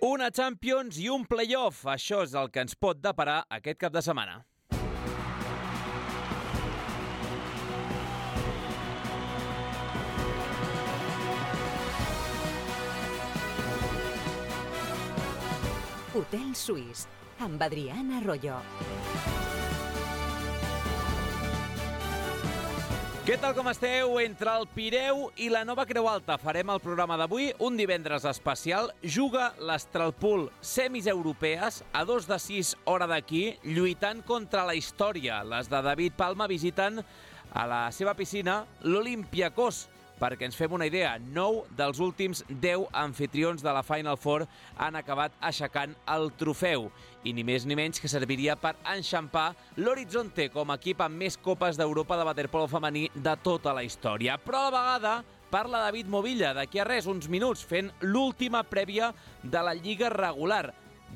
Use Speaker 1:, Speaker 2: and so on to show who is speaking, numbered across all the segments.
Speaker 1: Una Champions i un playoff. Això és el que ens pot deparar aquest cap de setmana.
Speaker 2: Hotel Suís, amb Adrián Arroyo.
Speaker 1: Què tal, com esteu? Entre el Pireu i la Nova Creu Alta farem el programa d'avui. Un divendres especial. Juga l'Astralpool semis europees a 2 de 6 hora d'aquí, lluitant contra la història. Les de David Palma visiten a la seva piscina l'Olympiacos. Perquè ens fem una idea, 9 dels últims 10 anfitrions de la Final Four han acabat aixecant el trofeu. I ni més ni menys que serviria per enxampar l'Horizonte com a equip amb més copes d'Europa de waterpolo femení de tota la història. Però a la vegada parla David Movilla, d'aquí a res, uns minuts, fent l'última prèvia de la Lliga regular.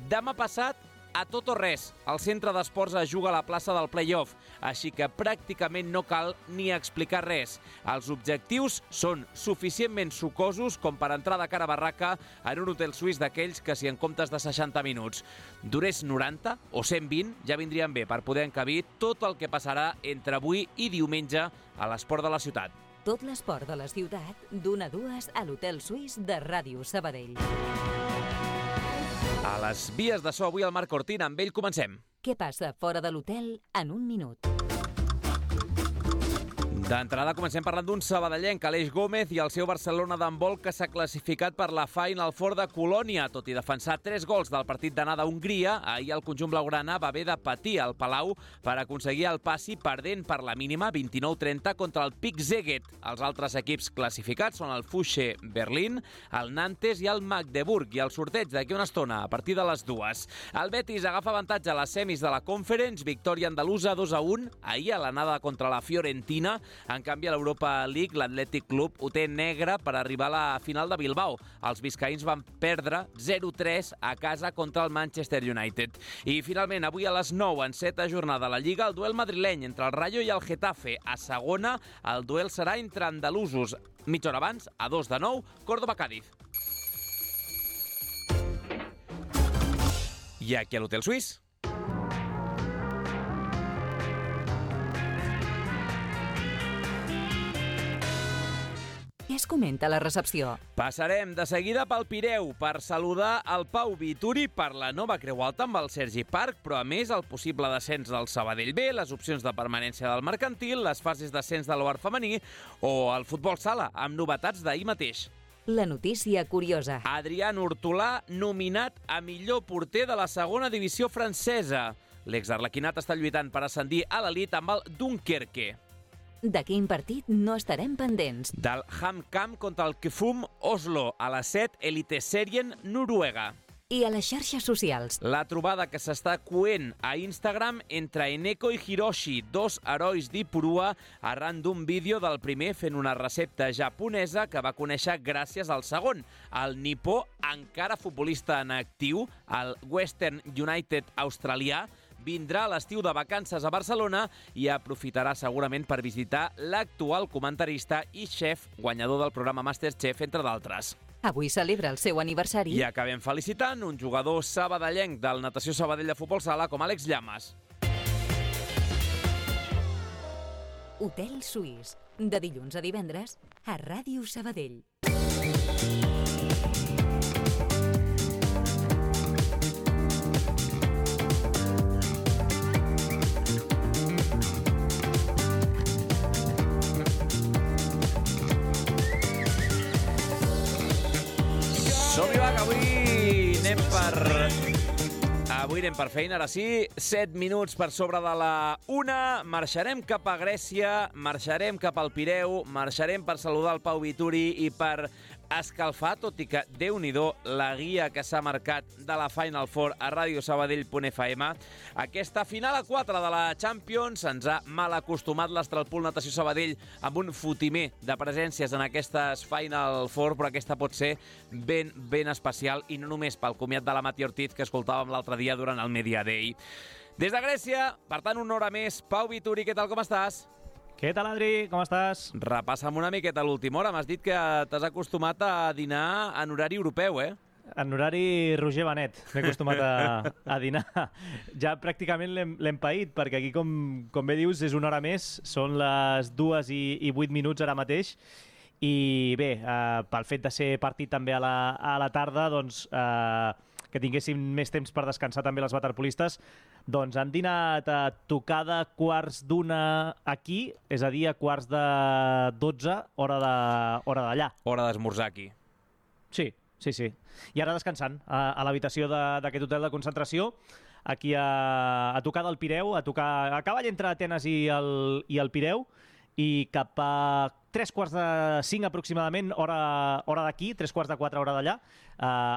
Speaker 1: Demà passat, a tot o res, el centre d'esports es juga a la plaça del play-off, així que pràcticament no cal ni explicar res. Els objectius són suficientment sucosos com per entrar de cara a barraca en un hotel suís d'aquells que, si en comptes de 60 minuts durés 90 o 120, ja vindrien bé per poder encabir tot el que passarà entre avui i diumenge a l'esport de la ciutat.
Speaker 2: Tot l'esport de la ciutat, d'1 a 2 a l'Hotel Suís de Ràdio Sabadell.
Speaker 1: A les vies de so avui el Marc Cortina, amb ell comencem.
Speaker 2: Què passa fora de l'hotel en un minut?
Speaker 1: D'entrada comencem parlant d'un sabadellenc, Aleix Gómez, i el seu Barcelona d'handbol, que s'ha classificat per la Final Four de Colònia. Tot i defensar 3 gols del partit d'anada a Hongria, ahir el conjunt blaugrana va haver de patir al Palau per aconseguir el passi, perdent per la mínima 29-30 contra el Pick Szeged. Els altres equips classificats són el Fusche Berlín, el Nantes i el Magdeburg, i el sorteig d'aquí una estona a partir de les 2. El Betis agafa avantatge a les semis de la Conference, victòria andalusa 2-1, ahir a l'anada contra la Fiorentina. En canvi, a l'Europa League, l'Atlètic Club ho té negre per arribar a la final de Bilbao. Els biscaïns van perdre 0-3 a casa contra el Manchester United. I finalment, avui a les 9, en 7a jornada de la Lliga, el duel madrileny entre el Rayo i el Getafe. A segona, el duel serà entre andalusos. Mitja hora abans, a 2 de 9, Córdoba-Cádiz. I aquí a l'Hotel Suís.
Speaker 2: Què es comenta a la recepció?
Speaker 1: Passarem de seguida pel Pireu per saludar el Pau Vituri per la Nova Creu Alta amb el Sergi Parc, però a més el possible descens del Sabadell B, les opcions de permanència del mercantil, les fases d'ascens de l'OAR femení o el futbol sala, amb novetats d'ahir mateix.
Speaker 2: La notícia curiosa.
Speaker 1: Adrián Hortolà, nominat a millor porter de la segona divisió francesa. L'exarlequinat està lluitant per ascendir a l'elit amb el Dunkerque.
Speaker 2: De quin partit no estarem pendents?
Speaker 1: Del HamKam contra el KFUM Oslo, a les 7, Eliteserien Noruega.
Speaker 2: I a les xarxes socials?
Speaker 1: La trobada que s'està coent a Instagram entre Eneko i Hiroshi, 2 herois d'Ipurua, arran d'un vídeo del primer fent una recepta japonesa que va conèixer gràcies al segon. El nipó, encara futbolista en actiu, el Western United australià, vindrà a l'estiu de vacances a Barcelona i aprofitarà segurament per visitar l'actual comentarista i xef, guanyador del programa Masterchef, entre d'altres.
Speaker 2: Avui celebra el seu aniversari.
Speaker 1: I acabem felicitant un jugador sabadellenc del Natació Sabadell de Futbol Sala com Àlex Llamas.
Speaker 2: Hotel Suís, de dilluns a divendres a Ràdio Sabadell.
Speaker 1: Som-hi, va, que avui anem per feina. Ara sí, 7 minuts per sobre de la 1. Marxarem cap a Grècia, marxarem cap al Pireu, marxarem per saludar el Pau Vituri i per escalfar, tot i que, Déu-n'hi-do, la guia que s'ha marcat de la Final Four a radiosabadell.fm. Aquesta final a 4 de la Champions ens ha mal acostumat l'Astralpool Natació Sabadell amb un fotimer de presències en aquestes Final Four, però aquesta pot ser ben especial, i no només pel comiat de la Mati Ortiz que escoltàvem l'altre dia durant el Media Day. Des de Grècia, per tant, una hora més. Pau Vituri, què tal, com estàs?
Speaker 3: Què tal, Adri? Com estàs?
Speaker 1: Repassa'm una miqueta l'última hora. M'has dit que t'has acostumat a dinar en horari europeu, eh?
Speaker 3: En horari Roger Benet m'he acostumat a dinar. Ja pràcticament l'hem paït, perquè aquí, com bé dius, és una hora més, són les 2:08 ara mateix, i bé, pel fet de ser partit també a la tarda, doncs que tinguéssim més temps per descansar també les waterpolistes, doncs han dinat a tocar de 1:15 aquí, és a dir, a 1:45, hora d'allà.
Speaker 1: Hora d'esmorzar aquí.
Speaker 3: Sí. I ara descansant a l'habitació d'aquest hotel de concentració, aquí a tocar del Pireu, a cavall entre Atenes i el Pireu, i cap a 3:45 aproximadament, hora d'aquí, 3:45 hora d'allà,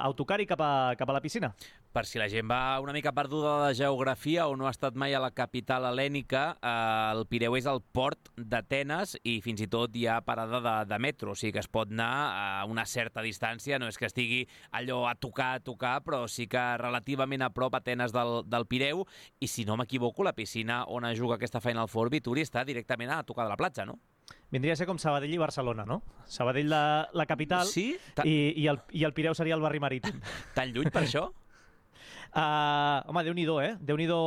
Speaker 3: autocar i cap a la piscina.
Speaker 1: Per si la gent va una mica perduda de geografia o no ha estat mai a la capital hel·lènica, el Pireu és el port d'Atenes i fins i tot hi ha parada de metro, o sigui que es pot anar a una certa distància, no és que estigui allò a tocar, però sí que relativament a prop Atenes del Pireu, i si no m'equivoco, la piscina on es juga aquesta Final Four, Vituri, està directament a tocar de la platja, no?
Speaker 3: Vindria a ser com Sabadell i Barcelona, no? Sabadell la capital,
Speaker 1: sí?
Speaker 3: I el Pireu seria el barri marítim.
Speaker 1: Tan lluny per això?
Speaker 3: Home, Déu-n'hi-do, Déu-n'hi-do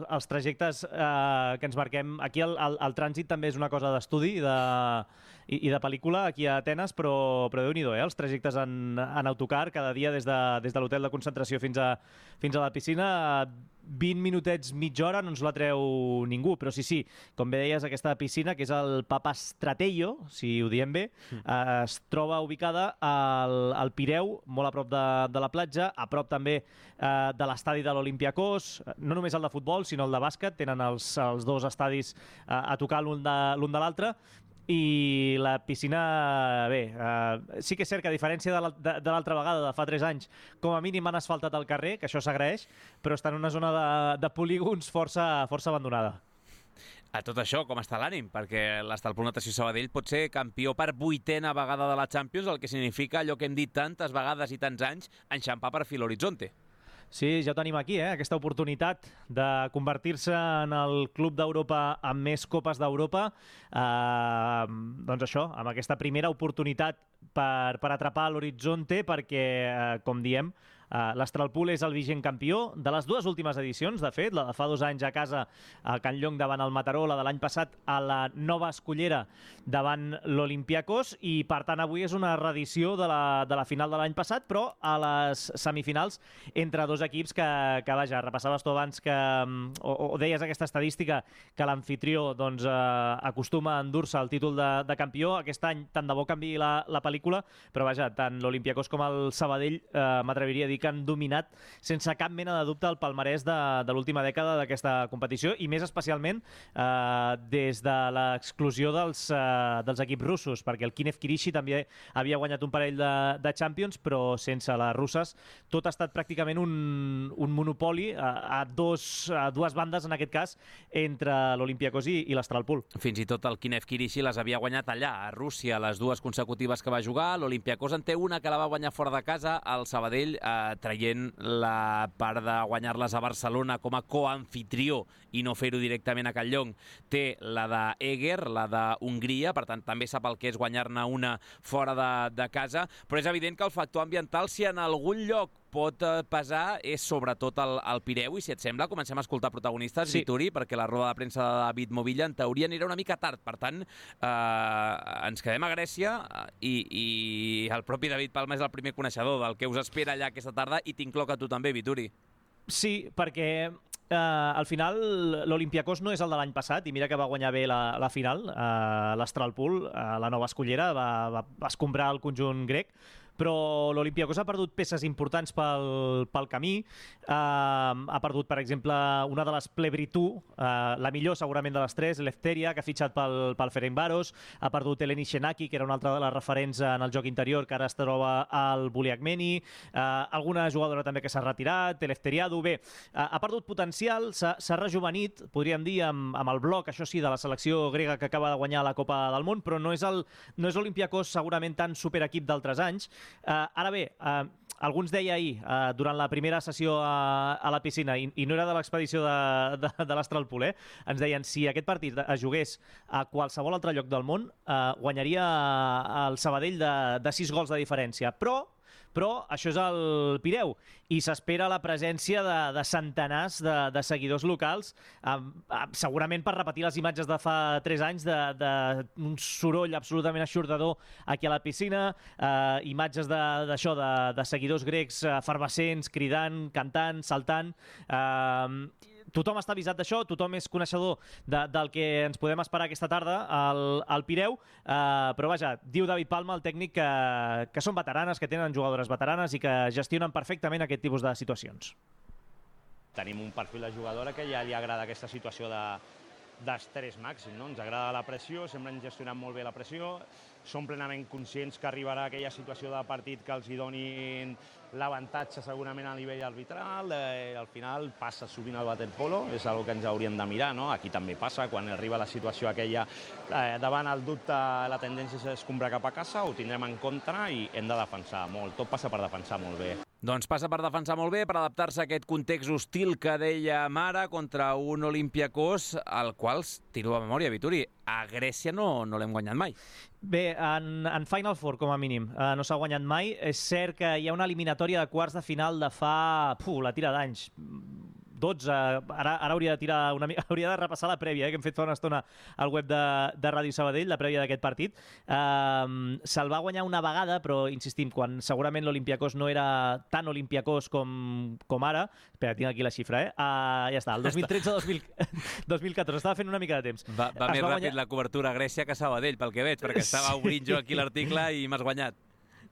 Speaker 3: els trajectes que ens marquem. Aquí el trànsit també és una cosa d'estudi i de pel·lícula aquí a Atenes, però Déu-n'hi-do, els trajectes en autocar cada dia des de l'hotel de concentració fins a la piscina. 20 minutets, mitja hora, no ens la treu ningú, però sí, com bé deies, aquesta piscina, que és el Papastratello, si ho diem bé, es troba ubicada al Pireu, molt a prop de la platja, a prop també de l'estadi de l'Olympiakos, no només el de futbol, sinó el de bàsquet, tenen els dos estadis a tocar l'un de l'altre, i la piscina, bé, sí que és cert que a diferència de l'altra vegada, de fa 3 anys, com a mínim han asfaltat el carrer, que això s'agraeix, però està en una zona de polígons força abandonada.
Speaker 1: A tot això, com està l'ànim? Perquè l'Estalpul Natació Sabadell pot ser campió per 8a vegada de la Champions, el que significa allò que hem dit tantes vegades i tants anys, enxampar per fi l'horitzonte.
Speaker 3: Sí, ja ho tenim aquí, aquesta oportunitat de convertir-se en el club d'Europa amb més copes d'Europa. Doncs això, amb aquesta primera oportunitat per atrapar l'horitzonte, perquè, com diem, l'Astralpool és el vigent campió de les 2 últimes edicions, de fet, la de fa 2 anys a casa a Can Llong davant el Mataró, la de l'any passat a la Nova Escollera davant l'Olympiakos, i per tant avui és una reedició de la final de l'any passat, però a les semifinals entre 2 equips que vaja, repassaves tu abans o deies aquesta estadística que l'anfitrió doncs, acostuma a endur-se el títol de campió. Aquest any tant de bo canviï la pel·lícula, però vaja, tant l'Olympiakos com el Sabadell m'atreviria a dir que han dominat sense cap mena de dubte el palmarès de l'última dècada d'aquesta competició, i més especialment des de l'exclusió dels equips russos, perquè el Kiev Kirishi també havia guanyat un parell de Champions, però sense les russes tot ha estat pràcticament un monopoli a dues bandes, en aquest cas, entre l'Olympiakos i l'Astralpool.
Speaker 1: Fins i tot el Kiev Kirishi les havia guanyat allà, a Rússia, les 2 consecutives que va jugar. L'Olympiakos en té una que la va guanyar fora de casa, el Sabadell traient la part de guanyar-les a Barcelona com a coanfitrió i no fer-ho directament a Can Llong. Té la d'Eger, la d'Hongria, per tant també sap el que és guanyar-ne una fora de casa, però és evident que el factor ambiental, si en algun lloc pot pesar, és sobretot el Pireu, i si et sembla comencem a escoltar protagonistes, sí. Vituri, perquè la roda de premsa de David Movilla en teoria anirà una mica tard, per tant ens quedem a Grècia i el propi David Palma és el primer coneixedor del que us espera allà aquesta tarda, i t'incloc a tu també, Vituri.
Speaker 3: Sí, perquè al final l'Olympiakos no és el de l'any passat, i mira que va guanyar bé la final, l'Astralpool, la Nova Escollera, va escombrar el conjunt grec, però l'Olympiakos ha perdut peces importants pel camí. Ha perdut, per exemple, una de les Plevritu, la millor segurament de les 3, Lefteria, que ha fitxat pel Ferencváros. Ha perdut Eleni Shenaki, que era una altra de les referents en el joc interior, que ara es troba al Buliakmeni. Alguna jugadora també que s'ha retirat, Elefteriadu. Bé, ha perdut potencial, s'ha rejuvenit, podríem dir, amb el bloc, això sí, de la selecció grega que acaba de guanyar la Copa del Món, però no és l'Olympiakos segurament tan superequip d'altres anys. Ara bé, algú ens deia ahir, durant la primera sessió a la piscina, i no era de l'expedició de l'Astralpool, ens deien si aquest partit es jugués a qualsevol altre lloc del món, guanyaria el Sabadell de 6 gols de diferència. Però però això és el Pireu i s'espera la presència de centenars de seguidors locals, segurament per repetir les imatges de fa 3 anys d'un soroll absolutament eixordador aquí a la piscina, imatges d'això, de seguidors grecs efervescents, cridant, cantant, saltant. Tothom està avisat d'això, tothom és coneixedor del que ens podem esperar aquesta tarda al Pireu, però vaja, diu David Palma, el tècnic, que són veteranes, que tenen jugadores veteranes i que gestionen perfectament aquest tipus de situacions.
Speaker 4: Tenim un perfil de jugadora que ja li agrada aquesta situació d'estrès màxim, no? Ens agrada la pressió, sempre hem gestionat molt bé la pressió, som plenament conscients que arribarà aquella situació de partit que els hi donin l'avantatge segurament a nivell arbitral. Al final passa sovint al waterpolo, és una que ens hauríem de mirar, no? Aquí també passa, quan arriba la situació aquella davant el dubte, la tendència és escombrar cap a casa, ho tindrem en contra i hem de defensar molt. Tot passa per defensar molt bé.
Speaker 1: Doncs passa per defensar molt bé, per adaptar-se a aquest context hostil que deia Mara contra un Olympiacos, al qual, tiro a memòria, Vituri, a Grècia no l'hem guanyat mai.
Speaker 3: Bé, en Final Four, com a mínim, no s'ha guanyat mai. És cert que hi ha una eliminatòria de quarts de final de fa... la tira d'anys. 12, ara hauria de tirar una mica, hauria de repassar la prèvia, que hem fet fa una estona al web de Ràdio Sabadell, la prèvia d'aquest partit. Se'l va guanyar una vegada, però insistim, quan segurament l'Olympiacos no era tan Olympiacos com ara. Espera, tinc aquí la xifra, ja està, el 2013-2014, estava fent una mica de temps.
Speaker 1: Va més ràpid la cobertura a Grècia que a Sabadell, pel que veig, perquè estava obrint jo aquí l'article i m'has guanyat.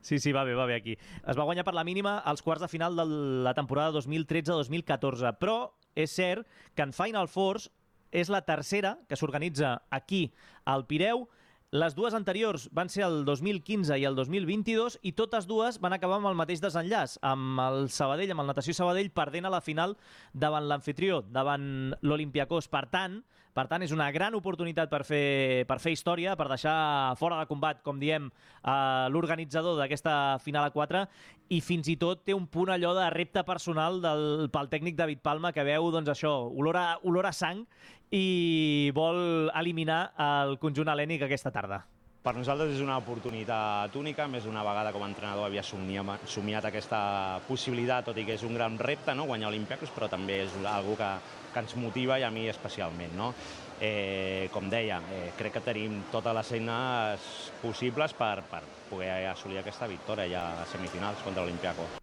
Speaker 3: Sí, va bé aquí. Es va guanyar per la mínima als quarts de final de la temporada 2013-2014, però és cert que en Final Fours és la tercera que s'organitza aquí al Pireu. Les dues anteriors van ser el 2015 i el 2022 i totes dues van acabar amb el mateix desenllaç, amb el Sabadell, amb el Natació Sabadell, perdent a la final davant l'amfitrió, davant l'Olympiacos. Per tant, és una gran oportunitat per fer història, per deixar fora de combat, com diem, l'organitzador d'aquesta final a 4, i fins i tot té un punt allò de repte personal pel tècnic David Palma, que veu doncs, això, olor a sang, i vol eliminar el conjunt hel·lènic aquesta tarda.
Speaker 4: Per nosaltres és una oportunitat única, més d'una vegada com a entrenador havia somiat aquesta possibilitat, tot i que és un gran repte, no? Guanyar Olympiacos, però també és algo que ens motiva i a mi especialment, no? Com deia, crec que tenim totes les eines possibles per poder assolir aquesta victòria ja a semifinals contra l'Olympiacos.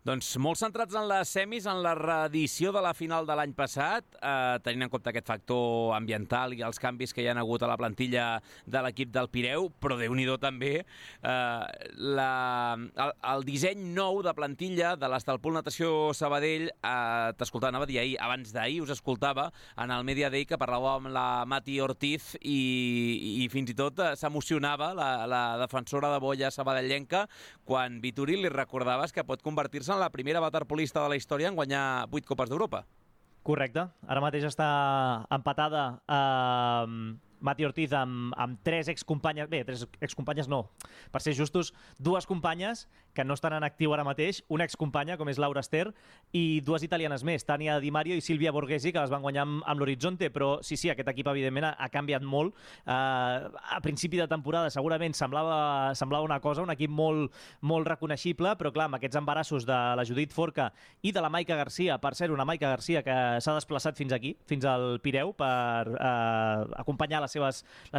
Speaker 1: Doncs molt centrats en les semis, en la reedició de la final de l'any passat, tenint en compte aquest factor ambiental i els canvis que hi ha hagut a la plantilla de l'equip del Pireu, però Déu-n'hi-do també el disseny nou de plantilla de l'Estalpul Natació Sabadell. T'escoltava, anava a dir ahir, abans d'ahir us escoltava en el Media Day que parlàveu amb la Mati Ortiz i fins i tot s'emocionava la defensora de boia sabadellenca quan Vituri li recordaves que pot convertir-se en la primera waterpolista de la història en guanyar 8 Copes d'Europa.
Speaker 3: Correcte. Ara mateix està empatada Mati Ortiz amb 3 excompanyes, bé, 3 excompanyes no, per ser justos, 2 companyes que no estan en actiu ara mateix, una excompanya com és Laura Ester i 2 italianes més, Tania Di Mario i Silvia Borghesi, que les van guanyar amb l'Horizonte, però sí, aquest equip evidentment ha canviat molt. A principi de temporada segurament semblava una cosa, un equip molt reconeixible, però clar, amb aquests embarassos de la Judit Forca i de la Maica Garcia, per cert, una Maica Garcia que s'ha desplaçat fins aquí, fins al Pireu, per acompanyar les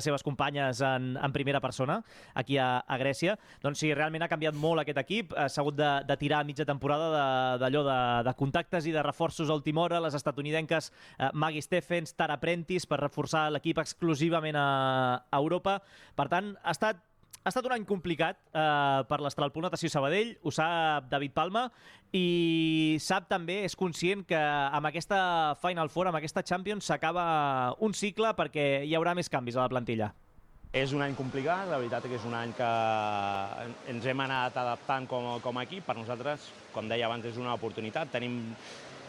Speaker 3: seves companyes en primera persona aquí a Grècia. Doncs sí, realment ha canviat molt aquest equip, s'ha hagut de tirar a mitja temporada d'allò de contactes i de reforços a última hora, les estatunidenques Maggie Stephens, Tara Prentice, per reforçar l'equip exclusivament a Europa. Per tant, ha estat un any complicat per l'Estalpul Natació Sabadell, ho sap David Palma, i sap també, és conscient que amb aquesta Final Four, amb aquesta Champions, s'acaba un cicle perquè hi haurà més canvis a la plantilla.
Speaker 4: És un any complicat, la veritat que és un any que ens hem anat adaptant com a equip. Per nosaltres, com deia abans, és una oportunitat. Tenim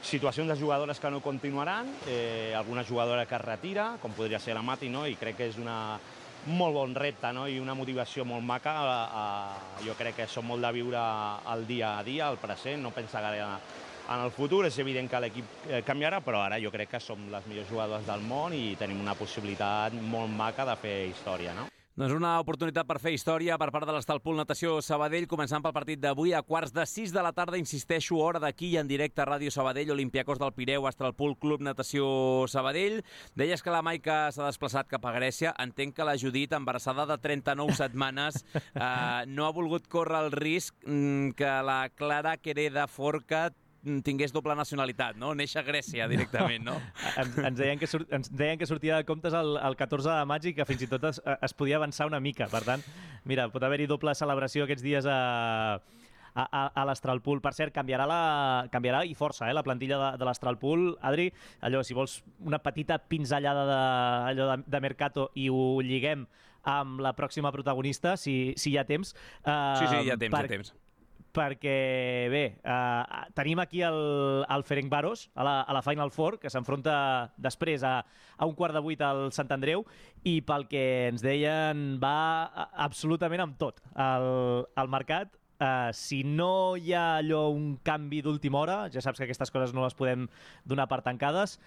Speaker 4: situacions de jugadores que no continuaran, alguna jugadora que es retira, com podria ser la Mati, no? I crec que és un molt bon repte, no? I una motivació molt maca. Jo crec que som molt de viure el dia a dia, el present, no pensar gaire en el futur. És evident que l'equip canviarà, però ara jo crec que som les millors jugadores del món i tenim una possibilitat molt maca de fer història, no?
Speaker 1: Doncs una oportunitat per fer història per part de l'Estalpul Natació Sabadell, començant pel partit d'avui a 5:45 de la tarda, insisteixo, hora d'aquí i en directe a Ràdio Sabadell, Olympiacos del Pireu, Estalpul Club Natació Sabadell. Deies que la Maica s'ha desplaçat cap a Grècia. Entenc que la Judit, embarassada de 39 setmanes, no ha volgut córrer el risc que la Clara Quereda Forca tingués doble nacionalitat, no? Neix a Grècia directament, no?
Speaker 3: Ens deien que sortia de comptes el 14 de maig i que fins i tot es podia avançar una mica. Per tant, mira, pot haver-hi doble celebració aquests dies a l'Astralpool. Per cert, canviarà i força la plantilla de l'Astralpool. Adri, allò, si vols una petita pinzellada de Mercato i ho lliguem amb la pròxima protagonista, si hi ha temps.
Speaker 1: Sí, hi ha temps.
Speaker 3: Perquè, bé, tenim aquí el Ferencváros a la Final Four, que s'enfronta després a 7:15 al Sant Andreu, i pel que ens deien va absolutament amb tot el mercat. Si no hi ha allò un canvi d'última hora, ja saps que aquestes coses no les podem donar per tancades,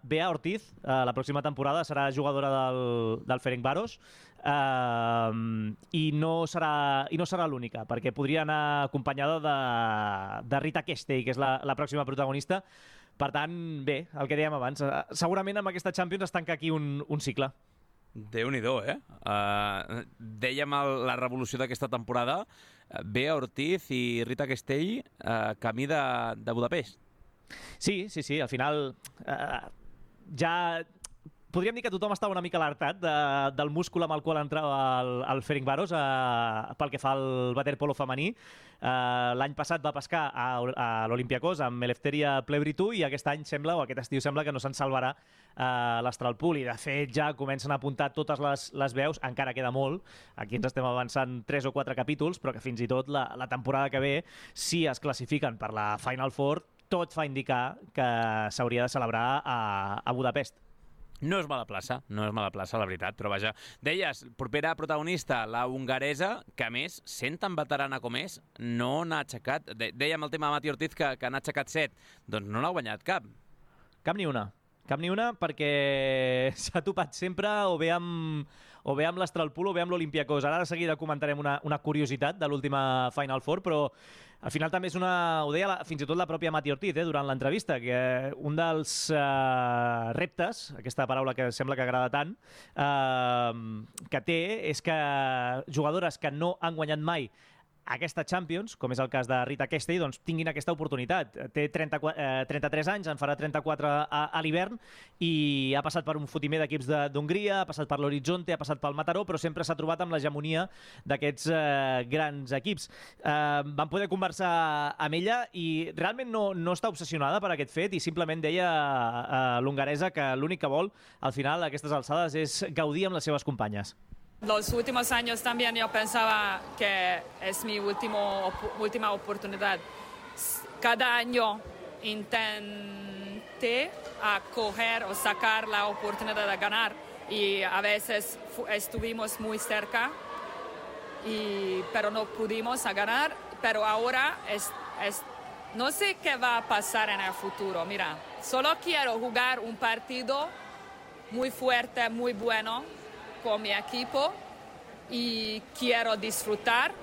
Speaker 3: Bea Ortiz, la pròxima temporada, serà jugadora del Ferencváros, i no serà l'única, perquè podria anar acompanyada de Rita Kestei, que és la pròxima protagonista. Per tant, bé, el que dèiem abans, segurament amb aquesta Champions es tanca aquí un cicle.
Speaker 1: Déu-n'hi-do, dèiem la revolució d'aquesta temporada, Bea Ortiz i Rita Kestei camí de Budapest.
Speaker 3: Sí, al final ja podríem dir que tothom estava una mica alertat del múscul amb el qual entrava el Ferencváros pel que fa al waterpolo femení. L'any passat va pescar a l'Olympiacos amb Eleftheria Plevritou i aquest estiu sembla que no se'n salvarà l'Astralpool, i de fet ja comencen a apuntar totes les veus, encara queda molt, aquí ens estem avançant 3 o 4 capítols, però que fins i tot la temporada que ve, si es classifiquen per la Final Four, tot fa indicar que s'hauria de celebrar a Budapest.
Speaker 1: No és mala plaça, la veritat, però vaja. Deies, propera protagonista, la hongaresa, que a més, sent tan veterana com és, no n'ha aixecat... Dèiem el tema de Mati Ortiz, que n'ha aixecat 7. Doncs no n'ha guanyat cap.
Speaker 3: Cap ni una, perquè s'ha topat sempre o bé amb l'Astralpool o bé amb l'Olympiacos. Ara de seguida comentarem una curiositat de l'última Final Four, però al final també és ho deia fins i tot la pròpia Mati Ortiz durant l'entrevista, que un dels reptes, aquesta paraula que sembla que agrada tant, que té és que jugadores que no han guanyat mai aquesta Champions, com és el cas de Rita Kestei, doncs tinguin aquesta oportunitat. Té 33 anys, en farà 34 a l'hivern, i ha passat per un fotimer d'equips d'Hongria, ha passat per l'Horizonte, ha passat pel Mataró, però sempre s'ha trobat amb l'hegemonia d'aquests grans equips. Vam poder conversar amb ella i realment no està obsessionada per aquest fet, i simplement deia l'hongaresa que l'únic que vol, al final, a aquestes alçades, és gaudir amb les seves companyes.
Speaker 5: Los últimos años también yo pensaba que es mi última oportunidad. Cada año intenté coger o sacar la oportunidad de ganar, y a veces estuvimos muy cerca, pero no pudimos ganar. Pero ahora no sé qué va a pasar en el futuro. Mira, solo quiero jugar un partido muy fuerte, muy bueno con mi equipo, y quiero disfrutar.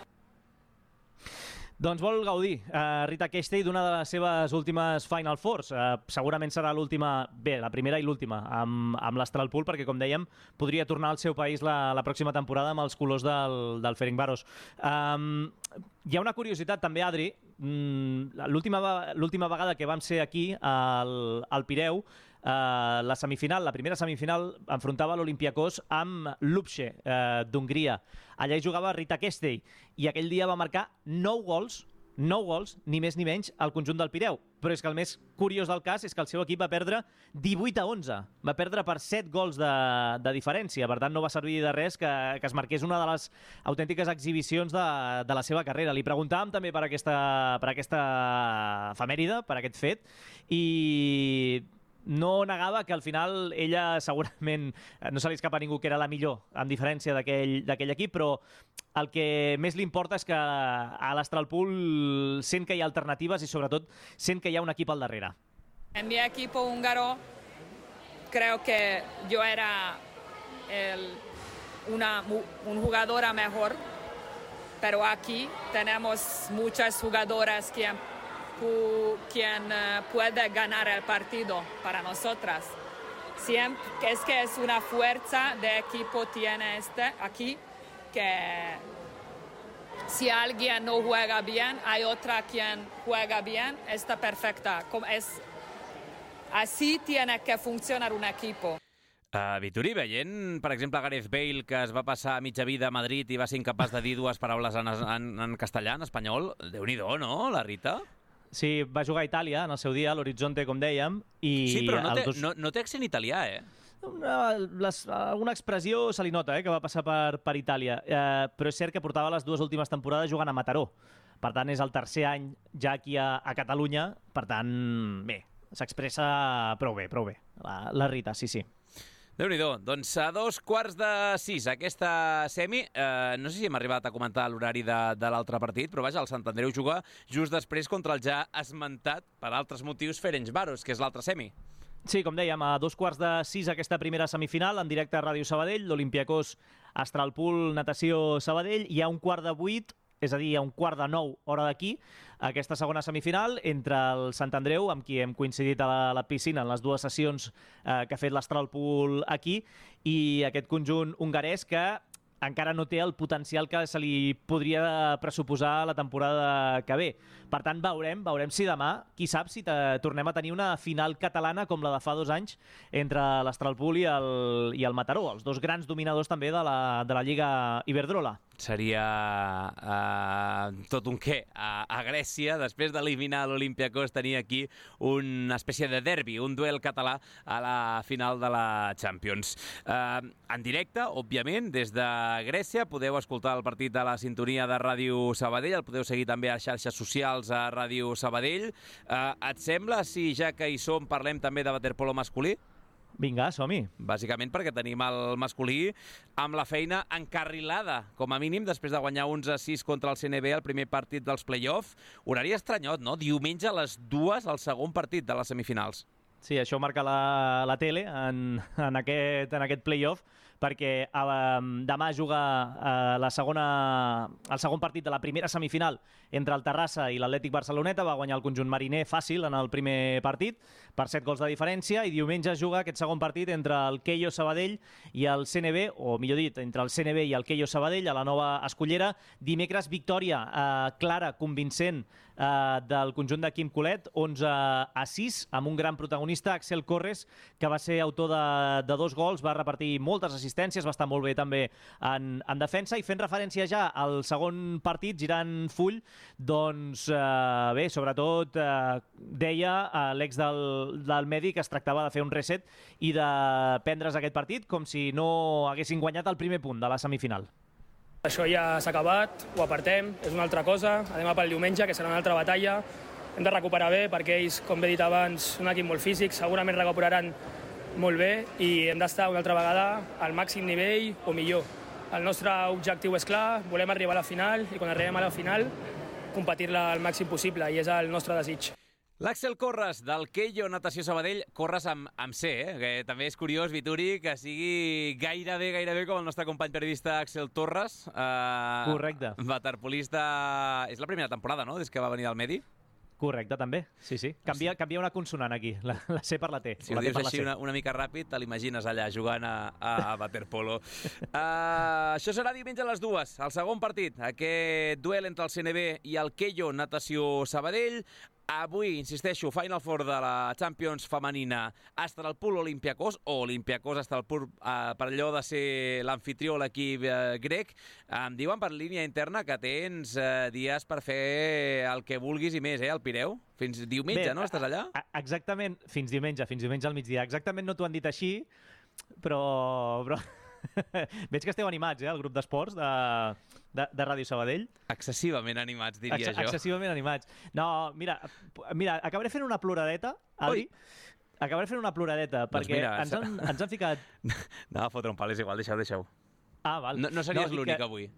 Speaker 3: Doncs vol gaudir Rita Kestei d'una de les seves últimes Final Fours. Segurament serà la primera i l'última amb l'Astralpool, perquè, com dèiem, podria tornar al seu país la pròxima temporada amb els colors del Ferencváros. Hi ha una curiositat també, Adri. L'última vegada que vam ser aquí al Pireu, la primera semifinal enfrontava l'Olympiacos amb Lupce d'Hongria. Allà hi jugava Rita Kestei i aquell dia va marcar 9 gols, ni més ni menys, al conjunt del Pireu. Però és que el més curiós del cas és que el seu equip va perdre 18-11. Va perdre per 7 gols de diferència. Per tant, no va servir de res que es marqués una de les autèntiques exhibicions de la seva carrera. Li preguntàvem també per aquesta efemèride, per aquest fet, i no negava que al final ella segurament no se li escapa a ningú que era la millor en diferència d'aquell equip, però el que més li importa és que a l'Astralpool sent que hi ha alternatives i sobretot sent que hi ha un equip al darrere.
Speaker 5: En mi equipo húngaro creo que yo era una jugadora mejor, pero aquí tenemos muchas jugadoras quien puede ganar el partido para nosotras. Siempre, es que es una fuerza de equipo tiene aquí, que si alguien no juega bien, hay otra quien juega bien, está perfecta. Así tiene que funcionar un equipo.
Speaker 1: Vituri, veient, per exemple, Gareth Bale, que es va passar mitja vida a Madrid i va ser incapaç de dir dues paraules en castellà, en espanyol, Déu-n'hi-do, no, la Rita?
Speaker 3: Sí, va jugar a Itàlia en el seu dia, a l'Horizonte, com dèiem.
Speaker 1: Sí, però no té accent italià, eh?
Speaker 3: Alguna expressió se li nota, que va passar per Itàlia, però és cert que portava les dues últimes temporades jugant a Mataró. Per tant, és el tercer any ja aquí a Catalunya, per tant, bé, s'expressa prou bé, la Rita, sí.
Speaker 1: Déu-n'hi-do. Doncs a 5:15 aquesta semi. No sé si hem arribat a comentar l'horari de l'altre partit, però vaja, el Sant Andreu juga just després contra el ja esmentat, per altres motius, Ferencváros, que és l'altre semi.
Speaker 3: Sí, com dèiem, a 5:15 aquesta primera semifinal, en directe a Ràdio Sabadell, l'Olympiacos Astralpool Natació Sabadell, i a 7:15, és a dir, a 8:45 hora d'aquí, aquesta segona semifinal entre el Sant Andreu, amb qui hem coincidit a la piscina en les dues sessions que ha fet l'Astralpool aquí, i aquest conjunt hongarès que encara no té el potencial que se li podria pressuposar la temporada que ve. Per tant, veurem si demà, qui sap si tornem a tenir una final catalana com la de fa 2 anys entre l'Astralpool i el Mataró, els dos grans dominadors també de la Lliga Iberdrola.
Speaker 1: Seria tot un què. A Grècia, després d'eliminar l'Olympiacos, tenia aquí una espècie de derbi, un duel català a la final de la Champions. En directe, òbviament, des de Grècia, podeu escoltar el partit a la sintonia de Ràdio Sabadell, el podeu seguir també a les xarxes socials a Ràdio Sabadell. Et sembla, si ja que hi som, parlem també de waterpolo masculí?
Speaker 3: Vinga, som-hi.
Speaker 1: Bàsicament perquè tenim el masculí amb la feina encarrilada, com a mínim, després de guanyar 11-6 contra el CNB el primer partit dels play-off. Horari estranyot, no? Diumenge a les 2 el segon partit de les semifinals.
Speaker 3: Sí, això marca la tele en aquest play-off, perquè demà juga el segon partit de la primera semifinal entre el Terrassa i l'Atlètic Barceloneta. Va guanyar el conjunt mariner fàcil en el primer partit, per 7 gols de diferència, i diumenge juga aquest segon partit entre el Queio Sabadell i el CNB, o millor dit, entre el CNB i el Queio Sabadell a la Nova Escollera. Dimecres, victòria clara, convincent, del conjunt de Quim Colet, 11-6, amb un gran protagonista, Axel Corres, que va ser autor de 2 gols, va repartir moltes assistències, va estar molt bé també en defensa, i fent referència ja al segon partit, girant full, doncs bé, sobretot deia l'ex del Medi que es tractava de fer un reset i de prendre's aquest partit com si no haguessin guanyat el primer punt de la semifinal.
Speaker 6: Això ja s'ha acabat, ho apartem, és una altra cosa, anem a pel diumenge, que serà una altra batalla. Hem de recuperar bé, perquè ells, com he dit abans, són un equip molt físic, segurament recuperaran molt bé i hem d'estar una altra vegada al màxim nivell o millor. El nostre objectiu és clar, volem arribar a la final i quan arribem a la final competir-la al màxim possible, i és el nostre desig.
Speaker 1: L'Àxel Corres, del Queio Natació Sabadell, Corres amb C, que també és curiós, Vituri, que sigui gairebé com el nostre company periodista Axel Torres.
Speaker 3: Correcte.
Speaker 1: Waterpolista. És la primera temporada, no?, des que va venir al Medi?
Speaker 3: Correcte, també. Sí. Canvia una consonant aquí, la C per la T.
Speaker 1: Si ho dius així una mica ràpid, te l'imagines allà jugant a waterpolo. Això serà diumenge a les 2, el segon partit, aquest duel entre el CNB i el Queio Natació Sabadell. Avui, insisteixo, Final Four de la Champions femenina, Astralpool Olympiacos, o Olympiacos Astralpool, per allò de ser l'anfitrió a l'equip grec. Em diuen per línia interna que tens dies per fer el que vulguis i més, al Pireu? Fins diumenge, no? Estàs allà?
Speaker 3: Exactament, fins diumenge al migdia. Exactament no t'ho han dit així, però... Veig que esteu animats, el grup d'esports de Ràdio Sabadell.
Speaker 1: Excessivament animats, diria jo.
Speaker 3: Excessivament animats. No, mira, acabaré fent una ploradeta, Adri. Acabaré fent una ploradeta, perquè ens han ficat...
Speaker 1: No, a fotre un pal, és igual, deixeu.
Speaker 3: Ah, val.
Speaker 1: No series l'únic avui.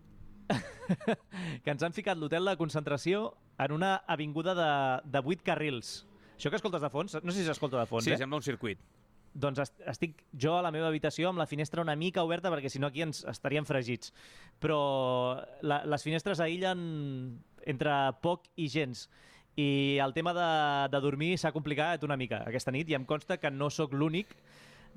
Speaker 3: Que ens han ficat l'hotel de concentració en una avinguda de 8 carrils. Això que escoltes de fons, no sé si s'escolta de fons,
Speaker 1: Sí, sembla un circuit.
Speaker 3: Doncs estic jo a la meva habitació amb la finestra una mica oberta perquè si no aquí ens estaríem fregits. Però les finestres aïllen entre poc i gens. I el tema de dormir s'ha complicat una mica aquesta nit i em consta que no sóc l'únic.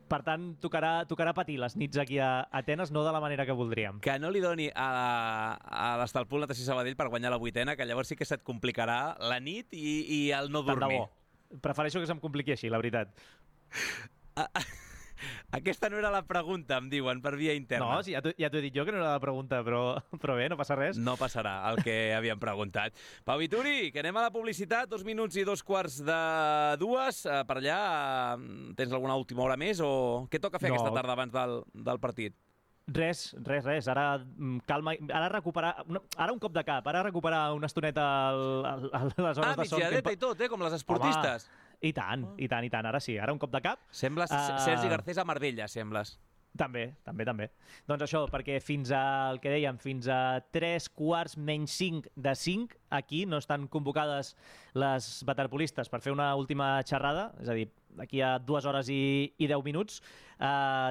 Speaker 3: Per tant, tocarà patir les nits aquí a Atenes, no de la manera que voldríem.
Speaker 1: Que no li doni a l'Estalpul Natació Sabadell per guanyar la 8ena, que llavors sí que se't complicarà la nit i el no dormir.
Speaker 3: Tant de bo. Prefereixo que se'm compliqui així, la veritat.
Speaker 1: Aquesta no era la pregunta, em diuen, per via interna.
Speaker 3: No, sí, ja t'ho he dit jo que no era la pregunta, però bé, no passa res.
Speaker 1: No passarà el que havíem preguntat. Pau Vituri, que anem a la publicitat, 2 minuts i 2:45. Per allà, tens alguna última hora més o què toca fer aquesta tarda abans del partit?
Speaker 3: Res. Ara calma, ara recuperar... Ara un cop de cap, ara recuperar una estoneta a les hores de son.
Speaker 1: Migdiadeta i tot, com les esportistes.
Speaker 3: Home, i tant, ara sí, ara un cop de cap.
Speaker 1: Sembles Sergi Garcés a Marbella, sembles.
Speaker 3: També. Doncs això, perquè fins a 3:45 aquí no estan convocades les waterpolistes per fer una última xerrada, és a dir, d'aquí a 2 hores i 10 minuts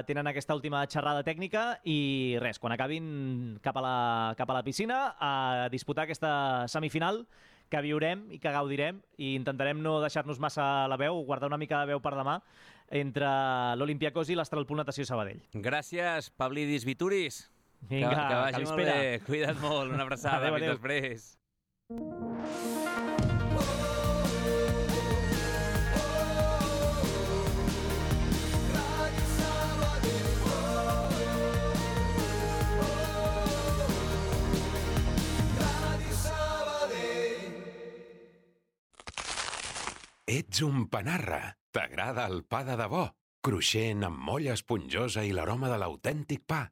Speaker 3: tenen aquesta última xerrada tècnica i res, quan acabin cap a la piscina a disputar aquesta semifinal que viurem i que gaudirem i intentarem no deixar-nos massa la veu, guardar una mica de veu per demà entre l'Olympiacos i l'Estralpul Natació Sabadell.
Speaker 1: Gràcies, Pavlidis Vituris.
Speaker 3: Vinga,
Speaker 1: que vagi molt bé. Cuida't molt, una abraçada.
Speaker 3: Adéu.
Speaker 1: Fins després.
Speaker 7: Ets un panarra. T'agrada el pa de debò? Cruixent, amb molla esponjosa i l'aroma de l'autèntic pa.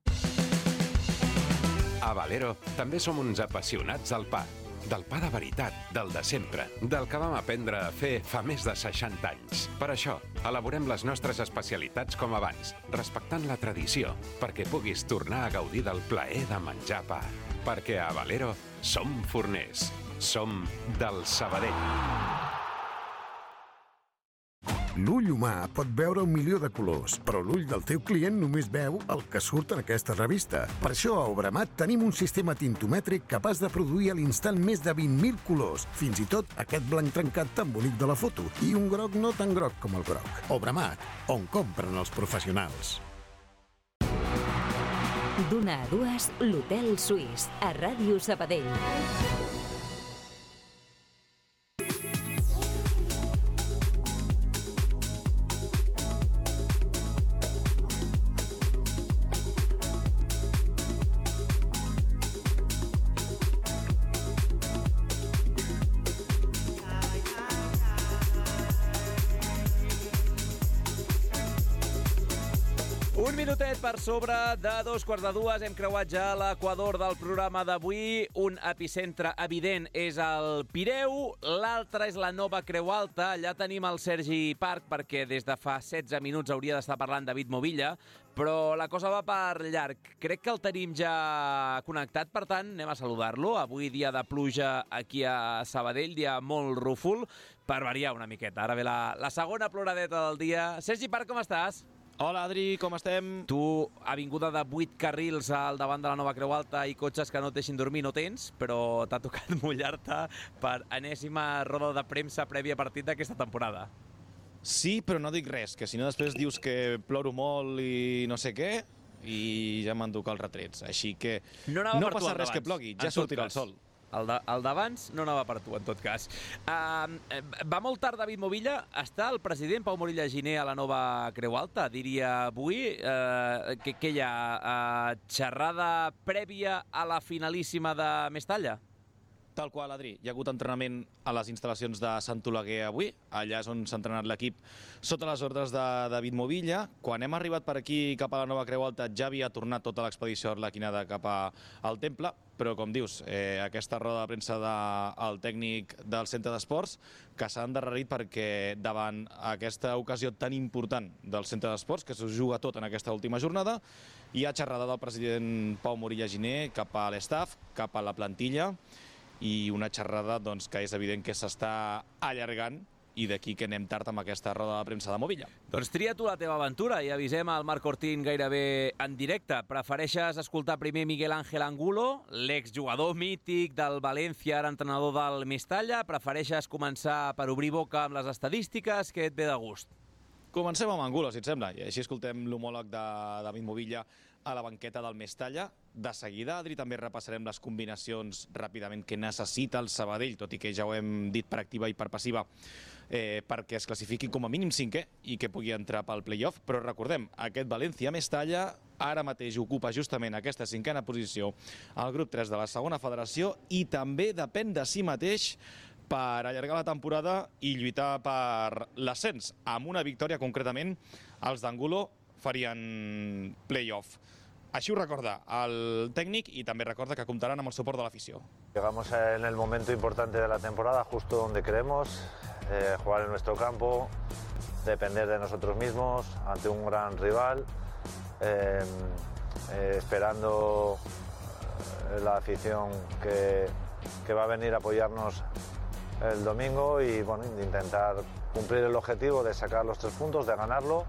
Speaker 7: A Valero també som uns apassionats del pa. Del pa de veritat, del de sempre, del que vam aprendre a fer fa més de 60 anys. Per això, elaborem les nostres especialitats com abans, respectant la tradició, perquè puguis tornar a gaudir del plaer de menjar pa. Perquè a Valero som forners. Som del Sabadell.
Speaker 8: L'ull humà pot veure 1.000.000 de colors, però l'ull del teu client només veu el que surt en aquesta revista. Per això a Obramat tenim un sistema tintomètric capaç de produir a l'instant més de 20.000 colors, fins i tot aquest blanc trencat tan bonic de la foto, i un groc no tan groc com el groc. Obramat, on compren els professionals.
Speaker 2: D'una a 2, l'Hotel Suís, a Ràdio Sabadell.
Speaker 1: Un minutet per sobre de 2:45. Hem creuat ja l'equador del programa d'avui. Un epicentre evident és el Pireu, l'altre és la Nova Creu Alta. Allà tenim el Sergi Parc, perquè des de fa 16 minuts hauria d'estar parlant David Movilla, però la cosa va per llarg. Crec que el tenim ja connectat, per tant, anem a saludar-lo. Avui dia de pluja aquí a Sabadell, dia molt rúfol, per variar una miqueta. Ara ve la segona ploradeta del dia. Sergi Parc, com estàs?
Speaker 9: Hola, Adri, com estem?
Speaker 1: Tu, avinguda de 8 carrils al davant de la Nova Creu Alta i cotxes que no et deixin dormir, no tens, però t'ha tocat mullar-te per enèsima roda de premsa prèvia partit d'aquesta temporada.
Speaker 9: Sí, però no dic res, que si no després dius que ploro molt i no sé què, i ja m'han tocat els retrets. Així que no passa res que plogui, ja sortirà el sol.
Speaker 1: El d'abans no anava per tu, en tot cas. Va molt tard David Movilla. Està el president Pau Morilla Giner a la Nova Creu Alta, diria avui. Què hi ha? Xerrada prèvia a la finalíssima de Mestalla?
Speaker 9: Tal qual, Adri. Hi ha hagut entrenament a les instal·lacions de Sant Oleguer avui. Allà és on s'ha entrenat l'equip sota les ordres de David Movilla. Quan hem arribat per aquí cap a la Nova Creu Alta ja havia tornat tota l'expedició arlequinada cap al temple, però com dius, aquesta roda de premsa del tècnic del centre d'esports que s'ha endarrerit perquè davant aquesta ocasió tan important del centre d'esports, que s'ho juga tot en aquesta última jornada, hi ha xerrada del president Pau Morilla Giner cap a l'estaf, cap a la plantilla, i una xerrada que és evident que s'està allargant i d'aquí que anem tard amb aquesta roda de premsa de Movilla.
Speaker 1: Doncs tria tu la teva aventura i avisem al Marc Ortín gairebé en directe. Prefereixes escoltar primer Miguel Ángel Angulo, l'exjugador mític del València, ara entrenador del Mestalla? Prefereixes començar per obrir boca amb les estadístiques? Què et ve de gust?
Speaker 9: Comencem amb Angulo, si et sembla, i així escoltem l'homòleg de David Movilla a la banqueta del Mestalla. De seguida, Adri, també repassarem les combinacions ràpidament que necessita el Sabadell, tot i que ja ho hem dit per activa i per passiva, perquè es classifiqui com a mínim cinquè i que pugui entrar pel play-off. Però recordem, aquest València-Mestalla ara mateix ocupa justament aquesta cinquena posició al grup 3 de la segona federació i també depèn de si mateix per allargar la temporada i lluitar per l'ascens. Amb una victòria, concretament, els d'Angulo farien play-off. Així ho recorda el tècnic i també recorda que comptaran amb el suport de l'afició.
Speaker 10: Llegamos en el momento importante de la temporada, justo donde queremos, jugar en nuestro campo, depender de nosotros mismos ante un gran rival, esperando la afición que va a venir a apoyarnos el domingo y bueno, intentar cumplir el objetivo de sacar los 3 puntos, de ganarlo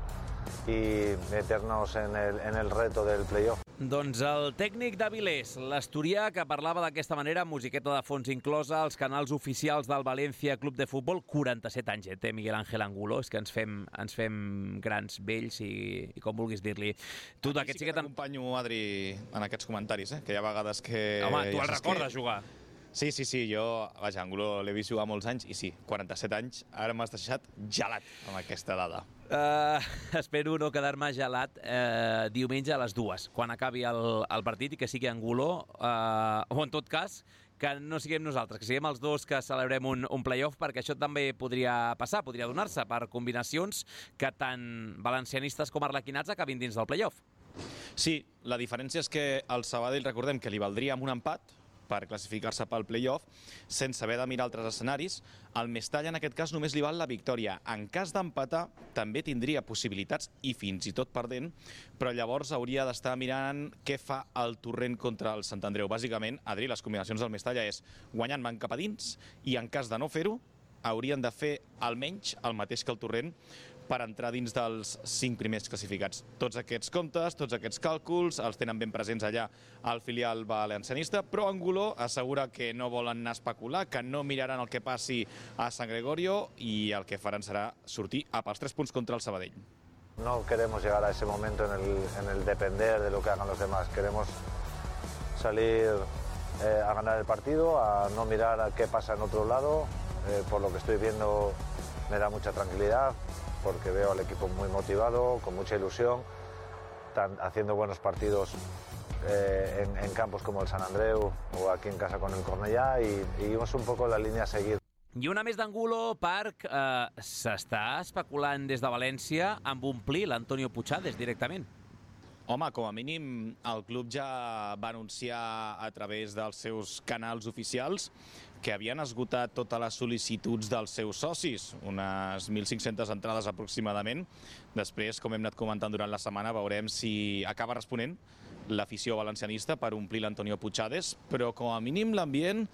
Speaker 10: i meternos en el reto del playoff.
Speaker 1: Doncs el tècnic d'Avilés, l'asturià, que parlava d'aquesta manera, musiqueta de fons inclosa, als canals oficials del València Club de Futbol. 47 anys, té Miguel Ángel Angulo, és que ens fem grans, vells i com vulguis dir-li. Tu d'aquest
Speaker 9: sí que t'acompanyo, Adri, en aquests comentaris, que hi ha vegades que...
Speaker 1: Home, tu el recordes jugar?
Speaker 9: Sí, jo, vaja, Angulo l'he vist jugar molts anys i sí, 47 anys, ara m'has deixat gelat amb aquesta dada.
Speaker 1: Espero no quedar-me gelat diumenge a les 2, quan acabi el partit i que sigui Angulo, o en tot cas, que no siguem nosaltres, que siguem els dos que celebrem un play-off, perquè això també podria passar, podria donar-se per combinacions que tant valencianistes com arlequinats acabin dins del play-off.
Speaker 9: Sí, la diferència és que el Sabadell, recordem que li valdria amb un empat, per classificar-se pel play-off, sense haver de mirar altres escenaris. Al Mestalla, en aquest cas, només li val la victòria. En cas d'empatar, també tindria possibilitats, i fins i tot perdent, però llavors hauria d'estar mirant què fa el Torrent contra el Sant Andreu. Bàsicament, Adri, les combinacions del Mestalla és guanyant van cap a dins, i en cas de no fer-ho, haurien de fer almenys el mateix que el Torrent per entrar dins dels 5 primers classificats. Tots aquests comptes, tots aquests càlculs, els tenen ben presents allà al filial valencianista, però Angulo assegura que no volen anar a especular, que no miraran el que passi a San Gregorio i el que faran serà sortir a pels 3 punts contra el Sabadell.
Speaker 10: No queremos llegar a ese momento en el depender de lo que hagan los demás. Queremos salir a ganar el partido, a no mirar a qué pasa en otro lado. Por lo que estoy viendo me da mucha tranquilidad, porque veo al equipo muy motivado, con mucha ilusión, haciendo buenos partidos en campos como el Sant Andreu o aquí en casa con el Cornellà, y es un poco la línea a seguir.
Speaker 1: I una més d'Angulo, Parc, s'està especulant des de València amb omplir l'Antonio Puchades directament.
Speaker 9: Home, com a mínim, el club ja va anunciar a través dels seus canals oficials que havien esgotat totes les sol·licituds dels seus socis, unes 1.500 entrades aproximadament. Després, com hem anat comentant durant la setmana, veurem si acaba responent l'afició valencianista per omplir l'Antonio Puchades, però com a mínim l'ambient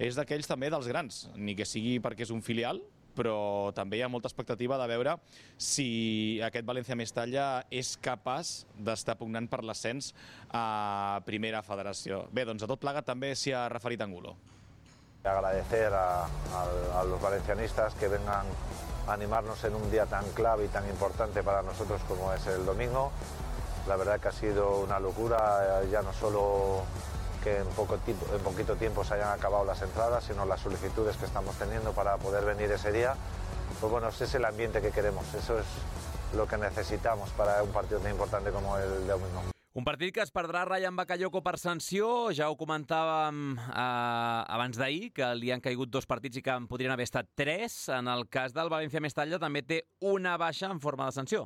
Speaker 9: és d'aquells també dels grans, ni que sigui perquè és un filial, però també hi ha molta expectativa de veure si aquest València-Mestalla és capaç d'estar pugnant per l'ascens a Primera Federació. Bé, doncs a tot plegat també s'hi ha referit Angulo.
Speaker 10: Agradecer a los valencianistas que vengan a animarnos en un día tan clave y tan importante para nosotros como es el domingo. La verdad que ha sido una locura, ya no solo que en poquito tiempo se hayan acabado las entradas, sino las solicitudes que estamos teniendo para poder venir ese día. Pues bueno, ese es el ambiente que queremos, eso es lo que necesitamos para un partido tan importante como el de domingo.
Speaker 1: Un partit que es perdrà Rayan Bakayoko per sanció, ja ho comentàvem abans d'ahir, que li han caigut 2 partits i que en podrien haver estat 3. En el cas del València-Mestalla també té una baixa en forma de sanció.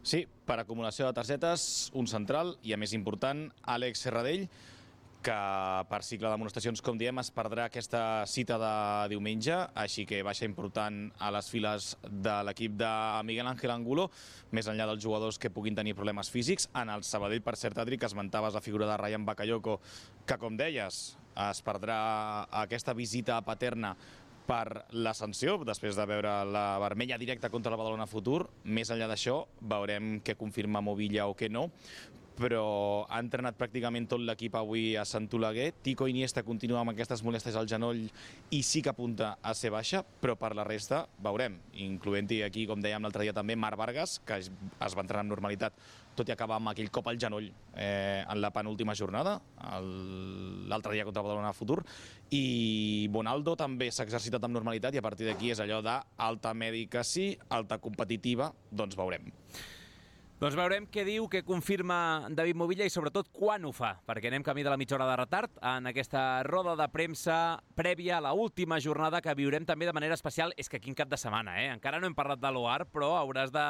Speaker 9: Sí, per acumulació de targetes, un central i, a més important, Àlex Serradell, que per cicle d'amonestacions, com diem, es perdrà aquesta cita de diumenge, així que baixa important a les files de l'equip de Miguel Ángel Angulo, més enllà dels jugadors que puguin tenir problemes físics. En el Sabadell, per cert, Adri, que esmentaves la figura de Rayan Bakayoko, que, com deies, es perdrà aquesta visita paterna per la sanció, després de veure la vermella directa contra el Badalona Futur. Més enllà d'això, veurem què confirma Movilla o què no, però ha entrenat pràcticament tot l'equip avui a Sant Oleguer. Tico Iniesta continua amb aquestes molèsties al genoll i sí que apunta a ser baixa, però per la resta veurem, incloent-hi aquí, com dèiem l'altre dia també, Marc Vargas, que es va entrenar amb normalitat, tot i acabar amb aquell cop al genoll en la penúltima jornada, l'altre dia contra Badalona Futur, i Bonaldo també s'ha exercitat amb normalitat i a partir d'aquí és allò d'alta mèdica sí, alta competitiva, doncs veurem.
Speaker 1: Doncs veurem què diu, què confirma David Movilla i sobretot quan ho fa, perquè anem camí de la mitja hora de retard en aquesta roda de premsa prèvia a l'última jornada que viurem també de manera especial. És que quin cap de setmana, encara no hem parlat de l'OAR, però hauràs de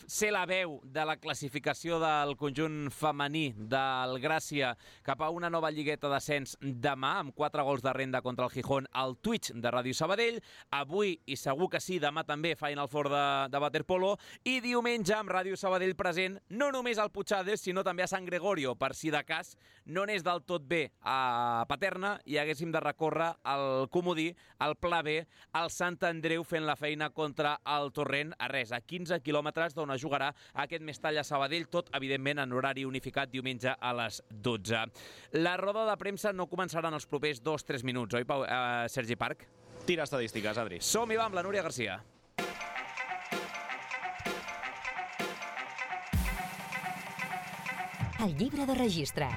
Speaker 1: ser la veu de la classificació del conjunt femení del Gràcia cap a una nova lligueta d'ascens demà, amb 4 gols de renda contra el Gijón al Twitch de Ràdio Sabadell. Avui, i segur que sí, demà també Final Four de waterpolo, i diumenge amb Ràdio Sabadell present no només al Puigades, sinó també a Sant Gregorio, per si de cas no anés del tot bé a Paterna i haguéssim de recórrer al comodí, al Pla B, al Sant Andreu fent la feina contra el Torrent, a 15 quilòmetres d'on es jugarà aquest Mestalla Sabadell, tot evidentment en horari unificat diumenge a les 12. La roda de premsa no començarà en els propers 2-3 minuts, oi, Sergi Parc?
Speaker 9: Tira estadístiques, Adri.
Speaker 1: Som-hi, va, amb la Núria Garcia.
Speaker 2: El llibre de registre.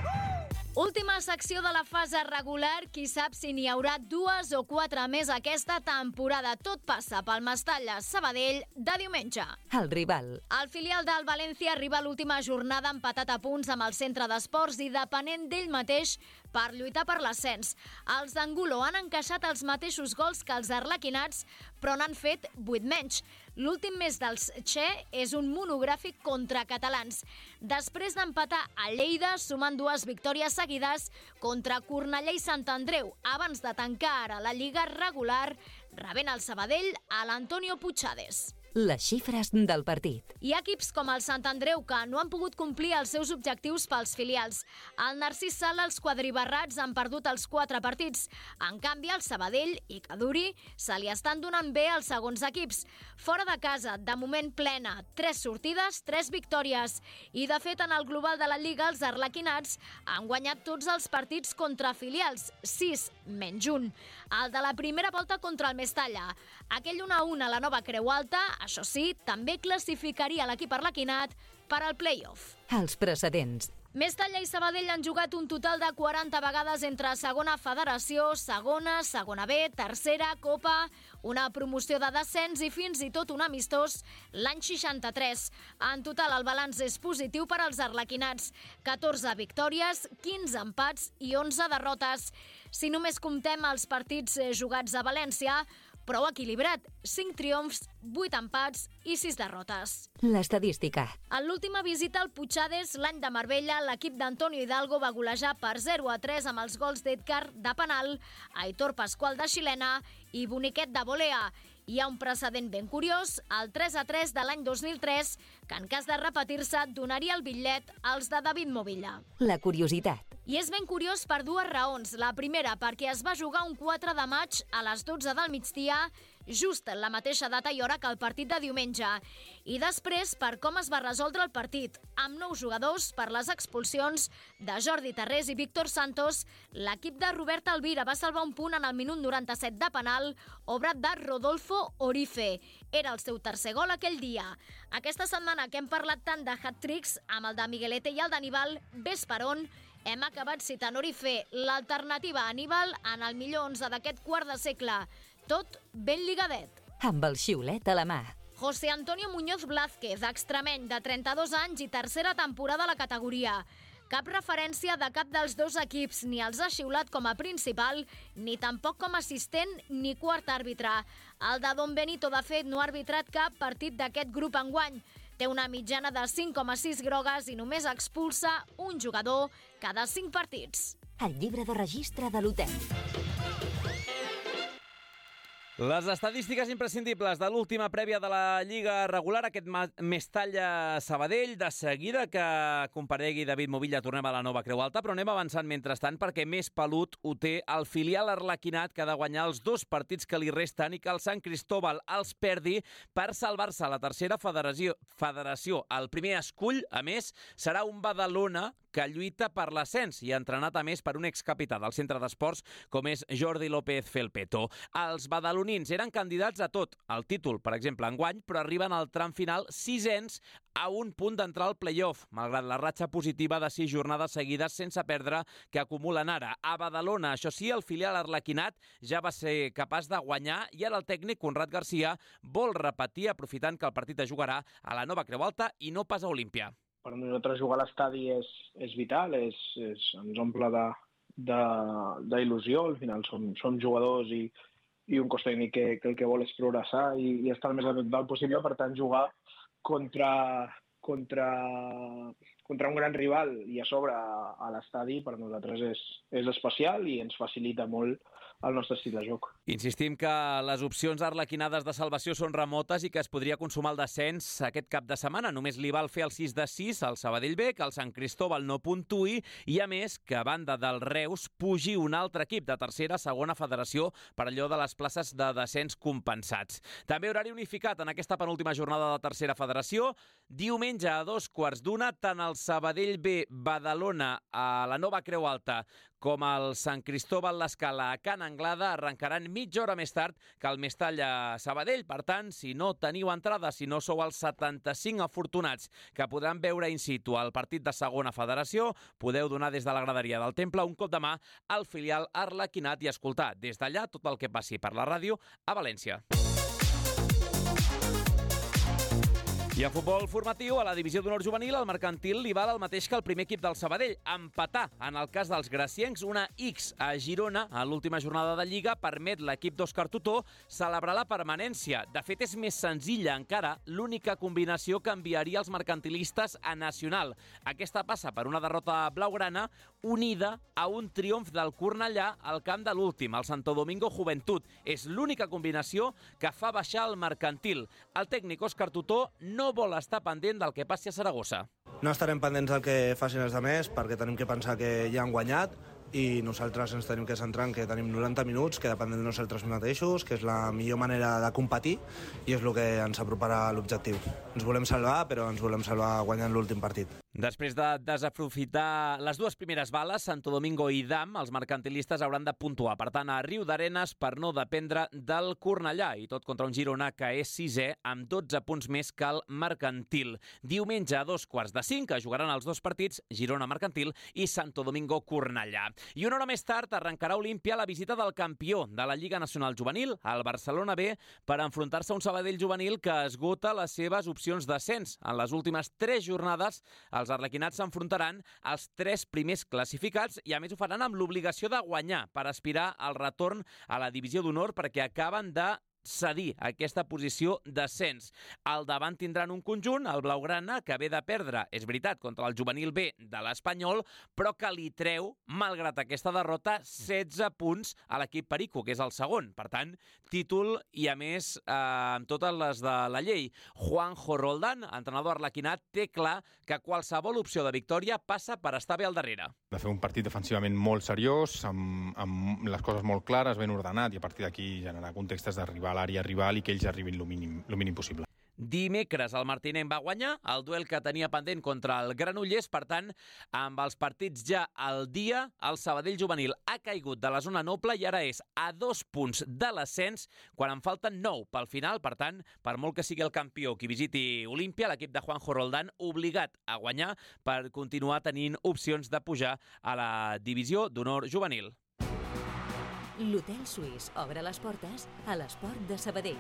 Speaker 11: Última secció de la fase regular, qui sap si n'hi haurà 2 o 4 més aquesta temporada. Tot passa pel Mestalla Sabadell de diumenge.
Speaker 2: El rival.
Speaker 11: El filial del València arriba a l'última jornada empatat a punts amb el centre d'esports i depenent d'ell mateix per lluitar per l'ascens. Els d'Angulo han encaixat els mateixos gols que els arlequinats, però n'han fet 8 menys. L'últim mes dels Che és un monogràfic contra catalans. Després d'empatar a Lleida, sumant 2 victòries seguides contra Cornellà i Sant Andreu, abans de tancar ara la Lliga regular, rebent el Sabadell a l'Antonio Puigades.
Speaker 2: Les xifres del partit.
Speaker 11: Hi ha equips com el Sant Andreu que no han pogut complir els seus objectius pels filials. Al Narcís Sala els quadribarrats han perdut els 4 partits. En canvi, al Sabadell i Caduri se li estan donant bé els segons equips. Fora de casa, de moment plena, 3 sortides, 3 victòries. I de fet, en el global de la Lliga, els arlequinats han guanyat tots els partits contra filials, 6 menys 1. El de la primera volta contra el Mestalla. Aquell 1-1 a la Nova Creu Alta, això sí, també classificaria l'equip arlequinat per al play-off.
Speaker 2: Els precedents.
Speaker 11: Mestalla i Sabadell han jugat un total de 40 vegades entre segona federació, segona B, tercera, Copa, una promoció de descens i fins i tot un amistós l'any 63. En total el balanç és positiu per als arlequinats. 14 victòries, 15 empats i 11 derrotes. Si només comptem els partits jugats a València, prou equilibrat, 5 triomfs, 8 empats i 6 derrotes.
Speaker 2: L'estadística.
Speaker 11: En l'última visita al Puigades, l'any de Marbella, l'equip d'Antonio Hidalgo va golejar per 0-3 amb els gols d'Edgar de penal, Aitor Pascual de xilena i Boniquet de volea. Hi ha un precedent ben curiós, el 3-3 de l'any 2003, que en cas de repetir-se donaria el bitllet als de David Movilla.
Speaker 2: La curiositat.
Speaker 11: I és ben curiós per 2 raons. La primera, perquè es va jugar un 4 de maig a les 12 del migdia, just la mateixa data i hora que el partit de diumenge. I després, per com es va resoldre el partit. Amb 9 jugadors per les expulsions de Jordi Tarrés i Víctor Santos, l'equip de Robert Alvira va salvar un punt en el minut 97 de penal, obrat de Rodolfo Orife. Era el seu tercer gol aquell dia. Aquesta setmana que hem parlat tant de hat-tricks, amb el de Miguelete i el d'Aníbal, ves per on, hem acabat citant Orife, l'alternativa a Aníbal en el millor 11 d'aquest quart de segle. Tot ben ligadet.
Speaker 2: Amb el xiulet a la mà.
Speaker 11: José Antonio Muñoz Blázquez, extremeny de 32 anys i tercera temporada a la categoria. Cap referència de cap dels dos equips, ni els ha xiulat com a principal, ni tampoc com a assistent ni quart àrbitre. El de Don Benito, de fet, no ha arbitrat cap partit d'aquest grup enguany. Té una mitjana de 5,6 grogues i només expulsa un jugador cada 5 partits.
Speaker 2: El llibre de registre de l'hotel.
Speaker 1: Les estadístiques imprescindibles de l'última prèvia de la Lliga regular, aquest Mestalla-Sabadell. De seguida que comparegui David Movilla tornem a la nova Creu Alta, però anem avançant mentrestant perquè més pelut ho té el filial arlequinat, que ha de guanyar els 2 partits que li resten i que el Sant Cristóbal els perdi per salvar-se a la tercera federació. El primer escull, a més, serà un Badalona que lluita per l'ascens i entrenat, a més, per un excapità del centre d'esports com és Jordi López Felpeto. Els badalonins eren candidats a tot, el títol, per exemple, enguany, però arriben al tram final 6ens a un punt d'entrar al play-off, malgrat la ratxa positiva de 6 jornades seguides sense perdre que acumulen ara. A Badalona, això sí, el filial arlequinat ja va ser capaç de guanyar i ara el tècnic Conrad Garcia vol repetir, aprofitant que el partit es jugarà a la nova Creu Alta i no pas a Olímpia.
Speaker 12: Per nosaltres jugar a l'estadi és vital, ens omple d'il·lusió. Al final som jugadors i un cos tècnic que el que vol és progressar i estar el més adequat possible. Per tant, jugar contra un gran rival i a sobre a l'estadi per nosaltres és especial i ens facilita molt el nostre estil de joc.
Speaker 1: Insistim que les opcions arlequinades de salvació són remotes i que es podria consumar el descens aquest cap de setmana. Només li val fer el 6-6 al Sabadell B, que el Sant Cristóbal no puntuï i, a més, que a banda del Reus pugi un altre equip de tercera, segona federació per allò de les places de descens compensats. També horari unificat en aquesta penúltima jornada de tercera federació. Diumenge a 2:15, tant el Sabadell B Badalona a la nova Creu Alta com el Sant Cristóbal l'Escala a Can Anglada arrencaran mitja hora més tard que el Mestalla Sabadell. Per tant, si no teniu entrada, si no sou els 75 afortunats que podran veure in situ el partit de segona federació, podeu donar des de la graderia del Temple un cop de mà al filial arlequinat i escoltar des d'allà tot el que passi per la ràdio a València. I a futbol formatiu, a la divisió d'honor juvenil, el Mercantil li val el mateix que el primer equip del Sabadell. Empatar, en el cas dels graciencs, una X a Girona a l'última jornada de Lliga permet l'equip d'Òscar Tutó celebrar la permanència. De fet, és més senzilla encara l'única combinació que enviaria els mercantilistes a Nacional. Aquesta passa per una derrota blaugrana unida a un triomf del Cornellà al camp de l'últim, el Santo Domingo Joventut. És l'única combinació que fa baixar el Mercantil. El tècnic Òscar Tutó no vol estar pendent del que passi a Saragossa.
Speaker 13: No estarem pendents del que facin els altres perquè tenim que pensar que ja han guanyat i nosaltres ens tenim que centrar en que tenim 90 minuts, que dependem de nosaltres mateixos, que és la millor manera de competir i és el que ens aproparà a l'objectiu. Ens volem salvar, però ens volem salvar guanyant l'últim partit.
Speaker 1: Després de desaprofitar les 2 primeres bales, Santo Domingo i Dam, els mercantilistes hauran de puntuar. Per tant, a Riu d'Arenes per no dependre del Cornellà, i tot contra un Girona que és 6è amb 12 punts més que el Mercantil. Diumenge a 2:45 que jugaran els 2 partits, Girona Mercantil i Santo Domingo Cornellà. I una hora més tard arrencarà Olímpia la visita del campió de la Lliga Nacional Juvenil, el Barcelona B, per enfrontar-se a un Sabadell juvenil que esgota les seves opcions d'ascens. En les últimes 3 jornades, els arlequinats s'enfrontaran als 3 primers classificats i a més ho faran amb l'obligació de guanyar per aspirar al retorn a la divisió d'honor perquè acaben de cedir aquesta posició d'ascens. Al davant tindran un conjunt, el Blaugrana, que ve de perdre, és veritat, contra el juvenil B de l'Espanyol, però que li treu, malgrat aquesta derrota, 16 punts a l'equip Perico, que és el segon. Per tant, títol i, a més, amb totes les de la llei. Juanjo Roldán, entrenador arlequinat, té clar que qualsevol opció de victòria passa per estar bé al darrere.
Speaker 14: De fer un partit defensivament molt seriós, amb les coses molt clares, ben ordenat, i a partir d'aquí generar contextes d'arribar a l'àrea rival i que ells arribin el mínim possible.
Speaker 1: Dimecres el Martinenc va guanyar el duel que tenia pendent contra el Granollers. Per tant, amb els partits ja al dia, el Sabadell juvenil ha caigut de la zona noble i ara és a 2 punts de l'ascens quan en falten 9 pel final. Per tant, per molt que sigui el campió qui visiti Olímpia, l'equip de Juanjo Roldán obligat a guanyar per continuar tenint opcions de pujar a la divisió d'honor juvenil.
Speaker 2: L'Hotel Suís obre les portes a l'esport de Sabadell.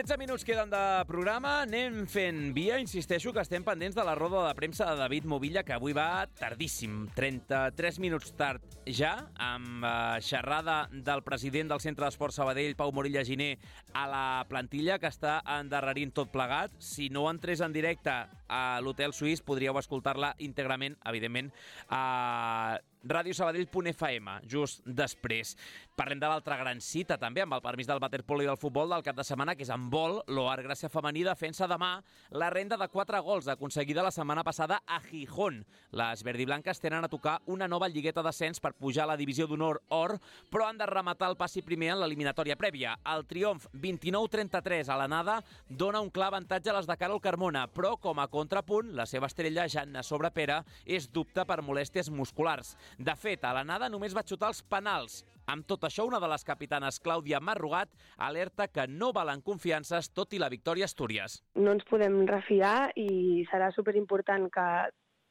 Speaker 1: 13 minuts queden de programa, anem fent via. Insisteixo que estem pendents de la roda de premsa de David Movilla, que avui va tardíssim, 33 minuts tard ja, amb xerrada del president del Centre d'Esport Sabadell, Pau Morilla Giner, a la plantilla, que està endarrerint tot plegat. Si no entrés en directe a l'Hotel Suís, podríeu escoltar-la íntegrament, evidentment, a radiosabadell.fm, just després. Parlem de l'altra gran cita, també, amb el permís del waterpolo i del futbol del cap de setmana, que és en vol. L'Oar Gràcia Femení defensa demà la renda de 4 gols aconseguida la setmana passada a Gijón. Les verdiblanques tenen a tocar una nova lligueta d'ascens per pujar a la divisió d'honor or, però han de rematar el passi primer en l'eliminatòria prèvia. El triomf 29-33 a l'anada dona un clar avantatge a les de Carol Carmona, però com a contrapunt, la seva estrella, Janna Sobrepera, és dubte per molèsties musculars. De fet, a l'anada només va xutar els penals. Amb tot això, una de les capitanes, Clàudia Marrugat, alerta que no valen confiances, tot i la victòria a Astúries.
Speaker 15: No ens podem refiar i serà superimportant que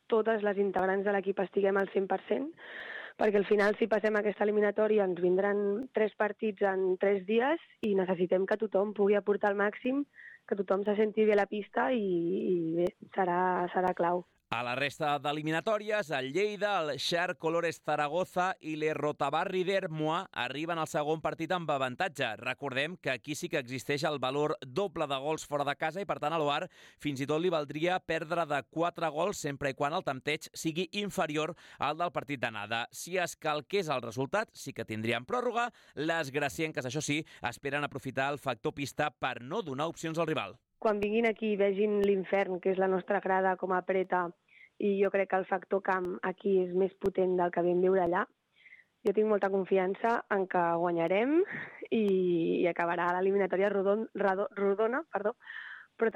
Speaker 15: totes les integrants de l'equip estiguem al 100%, perquè al final, si passem aquesta eliminatòria, ens vindran 3 partits en 3 dies i necessitem que tothom pugui aportar al màxim, que tothom se senti bé a la pista i bé, serà clau.
Speaker 1: A la resta d'eliminatòries, el Lleida, el Xar Colores Zaragoza i l'Errotabarri d'Ermua arriben al segon partit amb avantatge. Recordem que aquí sí que existeix el valor doble de gols fora de casa i, per tant, a l'Oar fins i tot li valdria perdre de 4 gols sempre i quan el tempteig sigui inferior al del partit d'anada. Si es calqués el resultat, sí que tindrien pròrroga. Les gracienques, això sí, esperen aprofitar el factor pista per no donar opcions al rival.
Speaker 15: Quan vinguin aquí i vegin l'infern, que és la nostra grada, com apreta, i jo crec que el factor camp aquí és més potent del que vam viure allà, jo tinc molta confiança en que guanyarem i acabarà l'eliminatòria rodona, però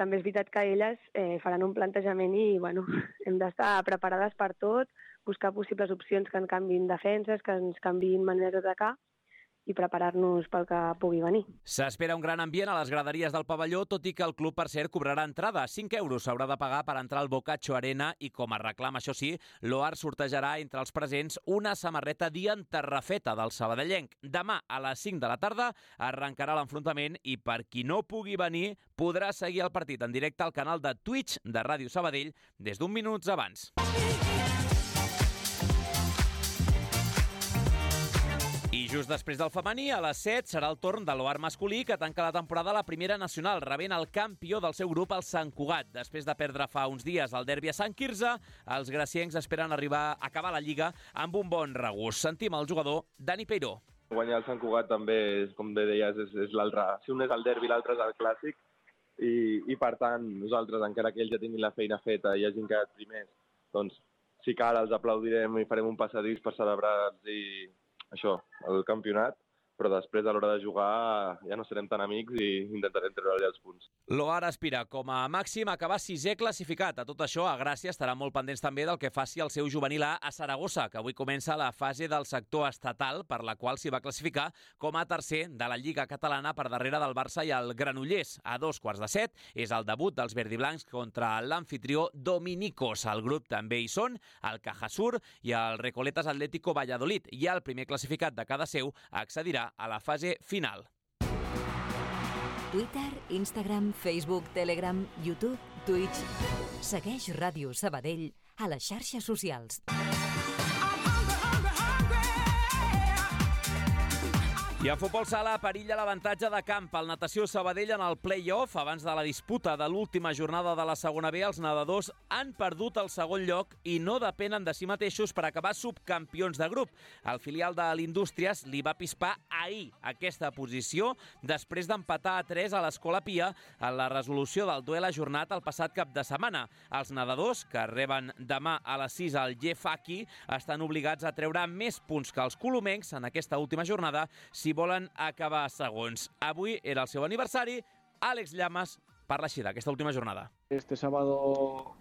Speaker 15: també és veritat que elles faran un plantejament i hem d'estar preparades per tot, buscar possibles opcions que ens canviïn defenses, que ens canviïn maneres d'atacar, i preparar-nos pel que pugui venir.
Speaker 1: S'espera un gran ambient a les graderies del pavelló, tot i que el club, per cert, cobrarà entrada. 5 euros s'haurà de pagar per entrar al Bocacho Arena i, com a reclam, això sí, l'Oar sortejarà entre els presents una samarreta d'enterrafeta del sabadellenc. Demà, a les 5 de la tarda, arrencarà l'enfrontament i, per qui no pugui venir, podrà seguir el partit en directe al canal de Twitch de Ràdio Sabadell des d'un minuts abans. I just després del femení, a les 7, serà el torn de l'Oar masculí, que tanca la temporada a la primera nacional, rebent el campió del seu grup, el Sant Cugat. Després de perdre fa uns dies el derbi a Sant Quirze, els graciencs esperen acabar la Lliga amb un bon regust. Sentim el jugador Dani Peiró.
Speaker 16: Guanyar el Sant Cugat també, com bé deies, és l'altre. Si un és el derbi, l'altre és el clàssic. I per tant, nosaltres, encara que ells ja tinguin la feina feta i hagin quedat primers, doncs, si cal, els aplaudirem i farem un passadís per celebrar-los i això, el campionat, però després, a l'hora de jugar, ja no serem tan amics i intentarem treure-li els punts.
Speaker 1: L'Oar aspira, com a màxim, a acabar 6è classificat. A tot això, a Gràcia estarà molt pendents també del que faci el seu juvenil A Saragossa, que avui comença la fase del sector estatal, per la qual s'hi va classificar com a tercer de la Lliga Catalana per darrere del Barça i el Granollers. A 6:45 és el debut dels verdiblancs contra l'anfitrió Dominicos. Al grup també hi són el Cajasur i el Recoletas Atlético Valladolid, i el primer classificat de cada seu accedirà a la fase final.
Speaker 2: Twitter, Instagram, Facebook, Telegram, YouTube, Twitch. Segueix Ràdio Sabadell a les xarxes socials.
Speaker 1: I en futbol sala perilla l'avantatge de camp. El Natació Sabadell en el play-off, abans de la disputa de l'última jornada de la segona B, els nedadors han perdut el segon lloc i no depenen de si mateixos per acabar subcampions de grup. El filial de l'Indústries li va pispar ahir aquesta posició després d'empatar a 3 a l'Escola Pia en la resolució del duel ajornat el passat cap de setmana. Els nedadors, que reben demà a les 6 al Jefaki, estan obligats a treure més punts que els colomencs en aquesta última jornada si volen acabar segons. Avui era el seu aniversari. Àlex Llamas parla així d'aquesta última jornada.
Speaker 17: Este sábado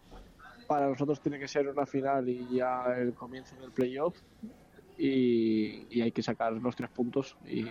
Speaker 17: para nosotros tiene que ser una final y ya el comienzo del playoff y hay que sacar los 3 puntos y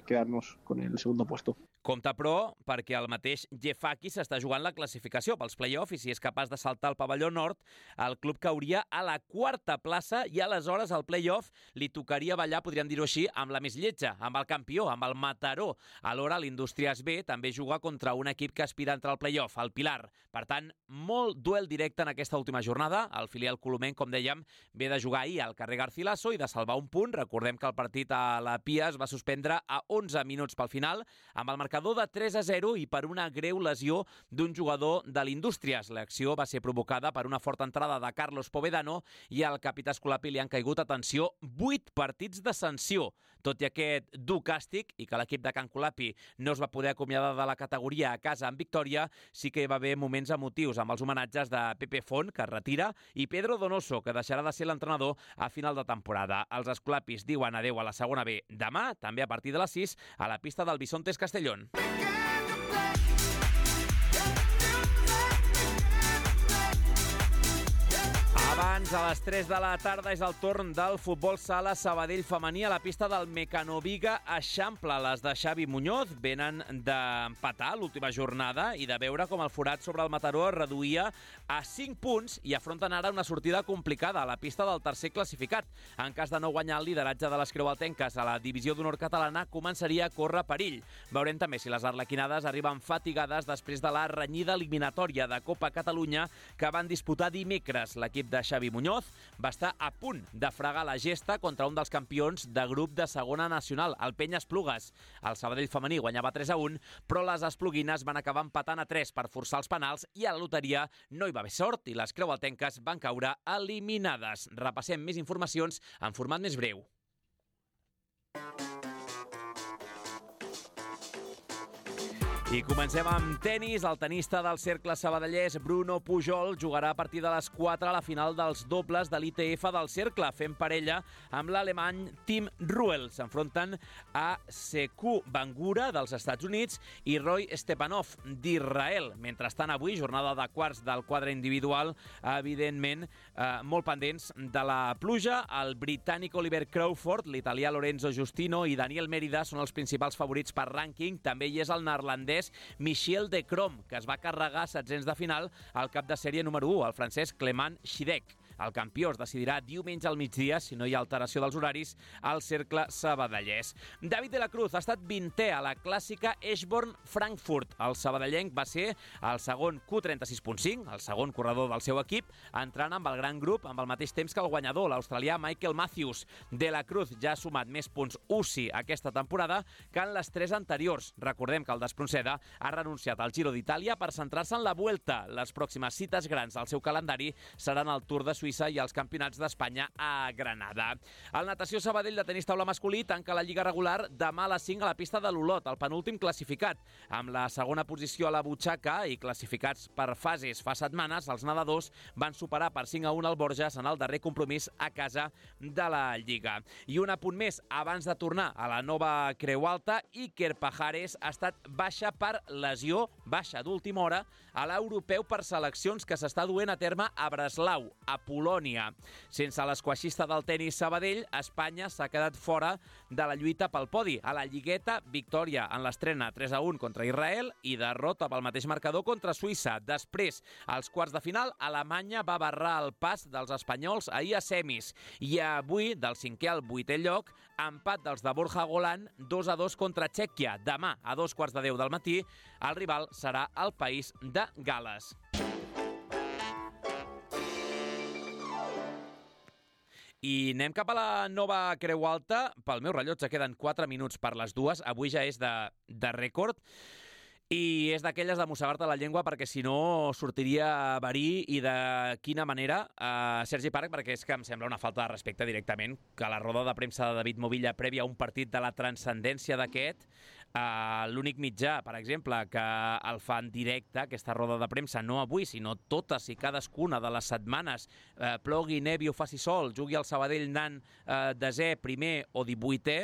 Speaker 17: quedarnos con el segundo puesto.
Speaker 1: Compte, però, perquè el mateix Gefaki s'està jugant la classificació pels play-off i si és capaç de saltar al pavelló nord, el club cauria a la 4a plaça i aleshores al play-off li tocaria ballar, podríem dir-ho així, amb la més lletja, amb el campió, amb el Mataró. Alhora, l'Indústries B també juga contra un equip que aspira a entrar al play-off, el Pilar. Per tant, molt duel directe en aquesta última jornada. El filial colomenc, com dèiem, ve de jugar ahir al carrer Garcilaso i de salvar un punt. Recordem que el partit a la Pia es va suspendre a 11 minuts pel final, amb el marcador de 3-0 i per una greu lesió d'un jugador de l'Indústries. L'acció va ser provocada per una forta entrada de Carlos Povedano i al capità Escolapi li han caigut, atenció, 8 partits de sanció. Tot i aquest dur càstig i que l'equip de Can Colapi no es va poder acomiadar de la categoria a casa amb victòria, sí que hi va haver moments emotius amb els homenatges de Pepe Font, que es retira, i Pedro Donoso, que deixarà de ser l'entrenador a final de temporada. Els escolapis diuen adeu a la segona B demà, també a partir de les 6, a la pista del Bisontes Castellón. Abans, a les 3 de la tarda, és el torn del futbol sala Sabadell femení a la pista del Mecanoviga Eixample. Les de Xavi Muñoz venen d'empatar l'última jornada i de veure com el forat sobre el Mataró es reduïa a 5 punts i afronten ara una sortida complicada a la pista del tercer classificat. En cas de no guanyar el lideratge de les creualtenques a la divisió d'honor catalana, començaria a córrer perill. Veurem també si les arlequinades arriben fatigades després de la renyida eliminatòria de Copa Catalunya que van disputar dimecres. L'equip de Xavi Muñoz va estar a punt de fregar la gesta contra un dels campions de grup de segona nacional, el Penya Esplugues. El Sabadell femení guanyava 3-1, però les espluguines van acabar empatant a 3 per forçar els penals i a la loteria no hi va haver sort i les creualtenques van caure eliminades. Repassem més informacions en format més breu. I comencem amb tenis. El tenista del cercle sabadellès, Bruno Pujol, jugarà a partir de les 4 a la final dels dobles de l'ITF del cercle, fent parella amb l'alemany Tim Ruel. S'enfronten a Sekou Bangura, dels Estats Units, i Roy Stepanov, d'Israel. Mentrestant, avui, jornada de quarts del quadre individual, evidentment, molt pendents de la pluja. El britànic Oliver Crawford, l'italià Lorenzo Giustino i Daniel Mérida són els principals favorits per rànquing. També hi és el neerlandès Michiel de Krom, que es va carregar 700 de final al cap de sèrie número 1, el francès Clement Schidec. El campió es decidirà diumenge al migdia, si no hi ha alteració dels horaris, al cercle sabadellès. David de la Cruz ha estat 20è a la clàssica Eschborn-Frankfurt. El sabadellenc va ser el segon Q36.5, el segon corredor del seu equip, entrant amb el gran grup amb el mateix temps que el guanyador, l'australià Michael Matthews. De la Cruz ja ha sumat més punts UCI aquesta temporada que en les 3 anteriors. Recordem que el d'Espronceda ha renunciat al Giro d'Itàlia per centrar-se en la Vuelta. Les pròximes cites grans del seu calendari seran el Tour de Suïssa i els campionats d'Espanya a Granada. El Natació Sabadell de tenis taula masculí tanca la lliga regular demà a les 5 a la pista de l'Olot, el penúltim classificat. Amb la segona posició a la butxaca i classificats per fases fa setmanes, els nedadors van superar per 5-1 al Borges en el darrer compromís a casa de la Lliga. I un apunt més, abans de tornar a la nova Creu Alta, Iker Pajares ha estat baixa per lesió, baixa d'última hora, a l'europeu per seleccions que s'està duent a terme a Breslau, a Polònia. Sense l'esquaixista del tenis Sabadell, Espanya s'ha quedat fora de la lluita pel podi. A la Lligueta, victòria en l'estrena 3-1 contra Israel i derrota pel mateix marcador contra Suïssa. Després, als quarts de final, Alemanya va barrar el pas dels espanyols ahir a semis. I avui, del 5è al 8è lloc, empat dels de Borja Golán, 2-2 contra Txèquia. Demà, a 2:15 del matí, el rival serà el país de Gal·les. I anem cap a la nova Creu Alta. Pel meu rellotge queden 4 minuts per les 2. Avui ja és de rècord. I és d'aquelles de mossegar-te la llengua perquè si no sortiria verí i de quina manera Sergi Parc, perquè és que em sembla una falta de respecte directament que la roda de premsa de David Movilla prèvia a un partit de la transcendència d'aquest, l'únic mitjà, per exemple, que el fa en directe, aquesta roda de premsa, no avui, sinó totes i cadascuna de les setmanes, plogui, nevi o faci sol, jugui al Sabadell anant desè, primer o 18è,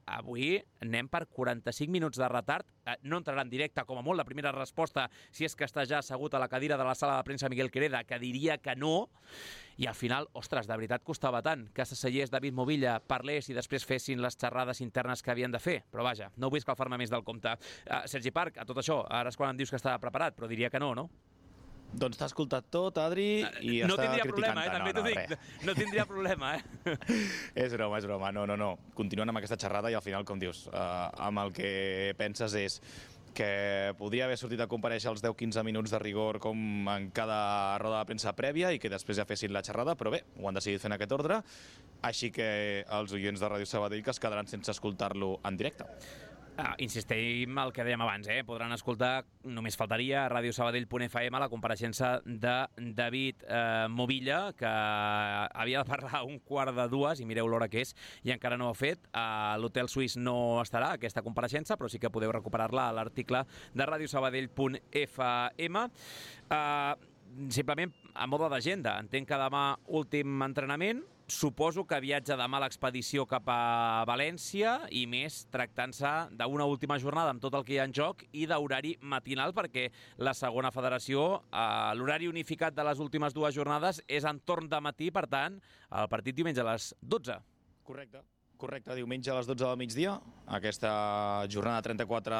Speaker 1: avui anem per 45 minuts de retard. No entrarà en directe, com a molt, la primera resposta, si és que està ja assegut a la cadira de la sala de premsa Miguel Quereda, que diria que no. i al final, ostres, de veritat costava tant que s'asseiés David Movilla, parlés i després fessin les xerrades internes que havien de fer. Però vaja, no vull escalfar-me més del compte. Sergi Parc, a tot això, ara és quan em dius que estava preparat, però diria que no, no?
Speaker 9: Doncs t'ha escoltat tot, Adri, i
Speaker 1: no
Speaker 9: està
Speaker 1: tindria
Speaker 9: criticant-te.
Speaker 1: problema, també t'ho dic. No tindria problema,
Speaker 9: És broma. No. Continuen amb aquesta xerrada i al final, com dius, amb el que penses és que podria haver sortit a comparèixer els 10-15 minuts de rigor com en cada roda de premsa prèvia i que després ja fessin la xerrada, però bé, ho han decidit fer en aquest ordre, així que els oients de Ràdio Sabadell que es quedaran sense escoltar-lo en directe.
Speaker 1: Insistim el que dèiem abans, podran escoltar, només faltaria, a radiosabadell.fm la compareixença de David Movilla, que havia de parlar 1:45 i mireu l'hora que és, i encara no ho ha fet. A l'Hotel Suís no estarà aquesta compareixença, però sí que podeu recuperar-la a l'article de radiosabadell.fm. Simplement, a mode d'agenda, entenc que demà últim entrenament, suposo que viatja demà a l'expedició cap a València i més tractant-se d'una última jornada amb tot el que hi ha en joc i d'horari matinal, perquè la segona federació, l'horari unificat de les últimes dues jornades és entorn de matí, per tant, el partit diumenge a les 12.
Speaker 9: Correcte, diumenge a les 12 del migdia, aquesta jornada 34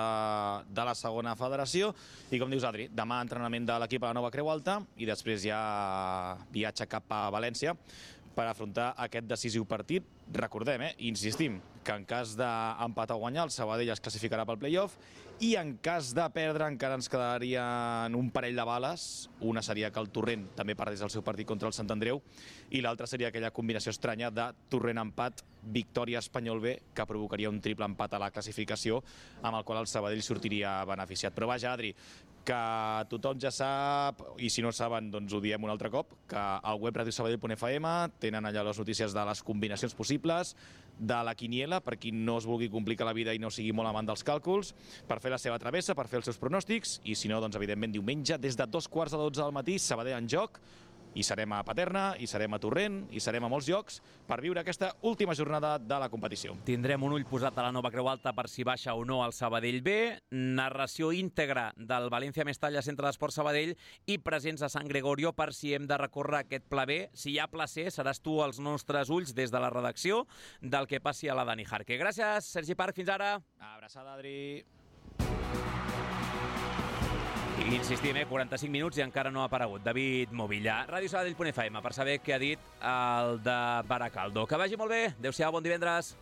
Speaker 9: de la segona federació. I com dius, Adri, demà entrenament de l'equip a la Nova Creu Alta i després ja viatge cap a València per afrontar aquest decisiu partit. Recordem, insistim, que en cas d'empat o guanyar, el Sabadell es classificarà pel play-off i en cas de perdre encara ens quedarien un parell de bales. Una seria que el Torrent també perdés el seu partit contra el Sant Andreu i l'altra seria aquella combinació estranya de Torrent-empat, victòria-Espanyol B, que provocaria un triple empat a la classificació amb el qual el Sabadell sortiria beneficiat. Però vaja, Adri, que tothom ja sap, i si no saben, doncs ho diem un altre cop, que al web radiosabadell.fm tenen allà les notícies de les combinacions possibles, de la quiniela, per qui no es vulgui complicar la vida i no sigui molt amant dels càlculs, per fer la seva travessa, per fer els seus pronòstics, i si no, doncs evidentment diumenge, des de 2:45 del matí, Sabadell en joc, i serem a Paterna, i serem a Torrent, i serem a molts llocs per viure aquesta última jornada de la competició.
Speaker 1: Tindrem un ull posat a la Nova Creu Alta per si baixa o no el Sabadell B, narració íntegra del València Mestalla Centre d'Esport Sabadell i presents a Sant Gregorio per si hem de recórrer aquest pla B. Si hi ha pla C, seràs tu als nostres ulls des de la redacció del que passi a la Dani Jarque. Gràcies, Sergi Parc, fins ara.
Speaker 9: Abraçada, Adri.
Speaker 1: I insistim, 45 minuts i encara no ha aparegut David Movilla. radiosabadell.fm per saber què ha dit el de Baracaldo. Que vagi molt bé. Adéu-siau, bon divendres.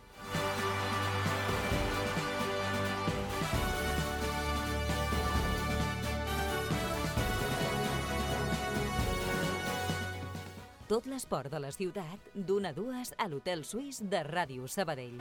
Speaker 2: Tot l'esport de la ciutat, d'1 a 2 a l'Hotel Suís de Ràdio Sabadell.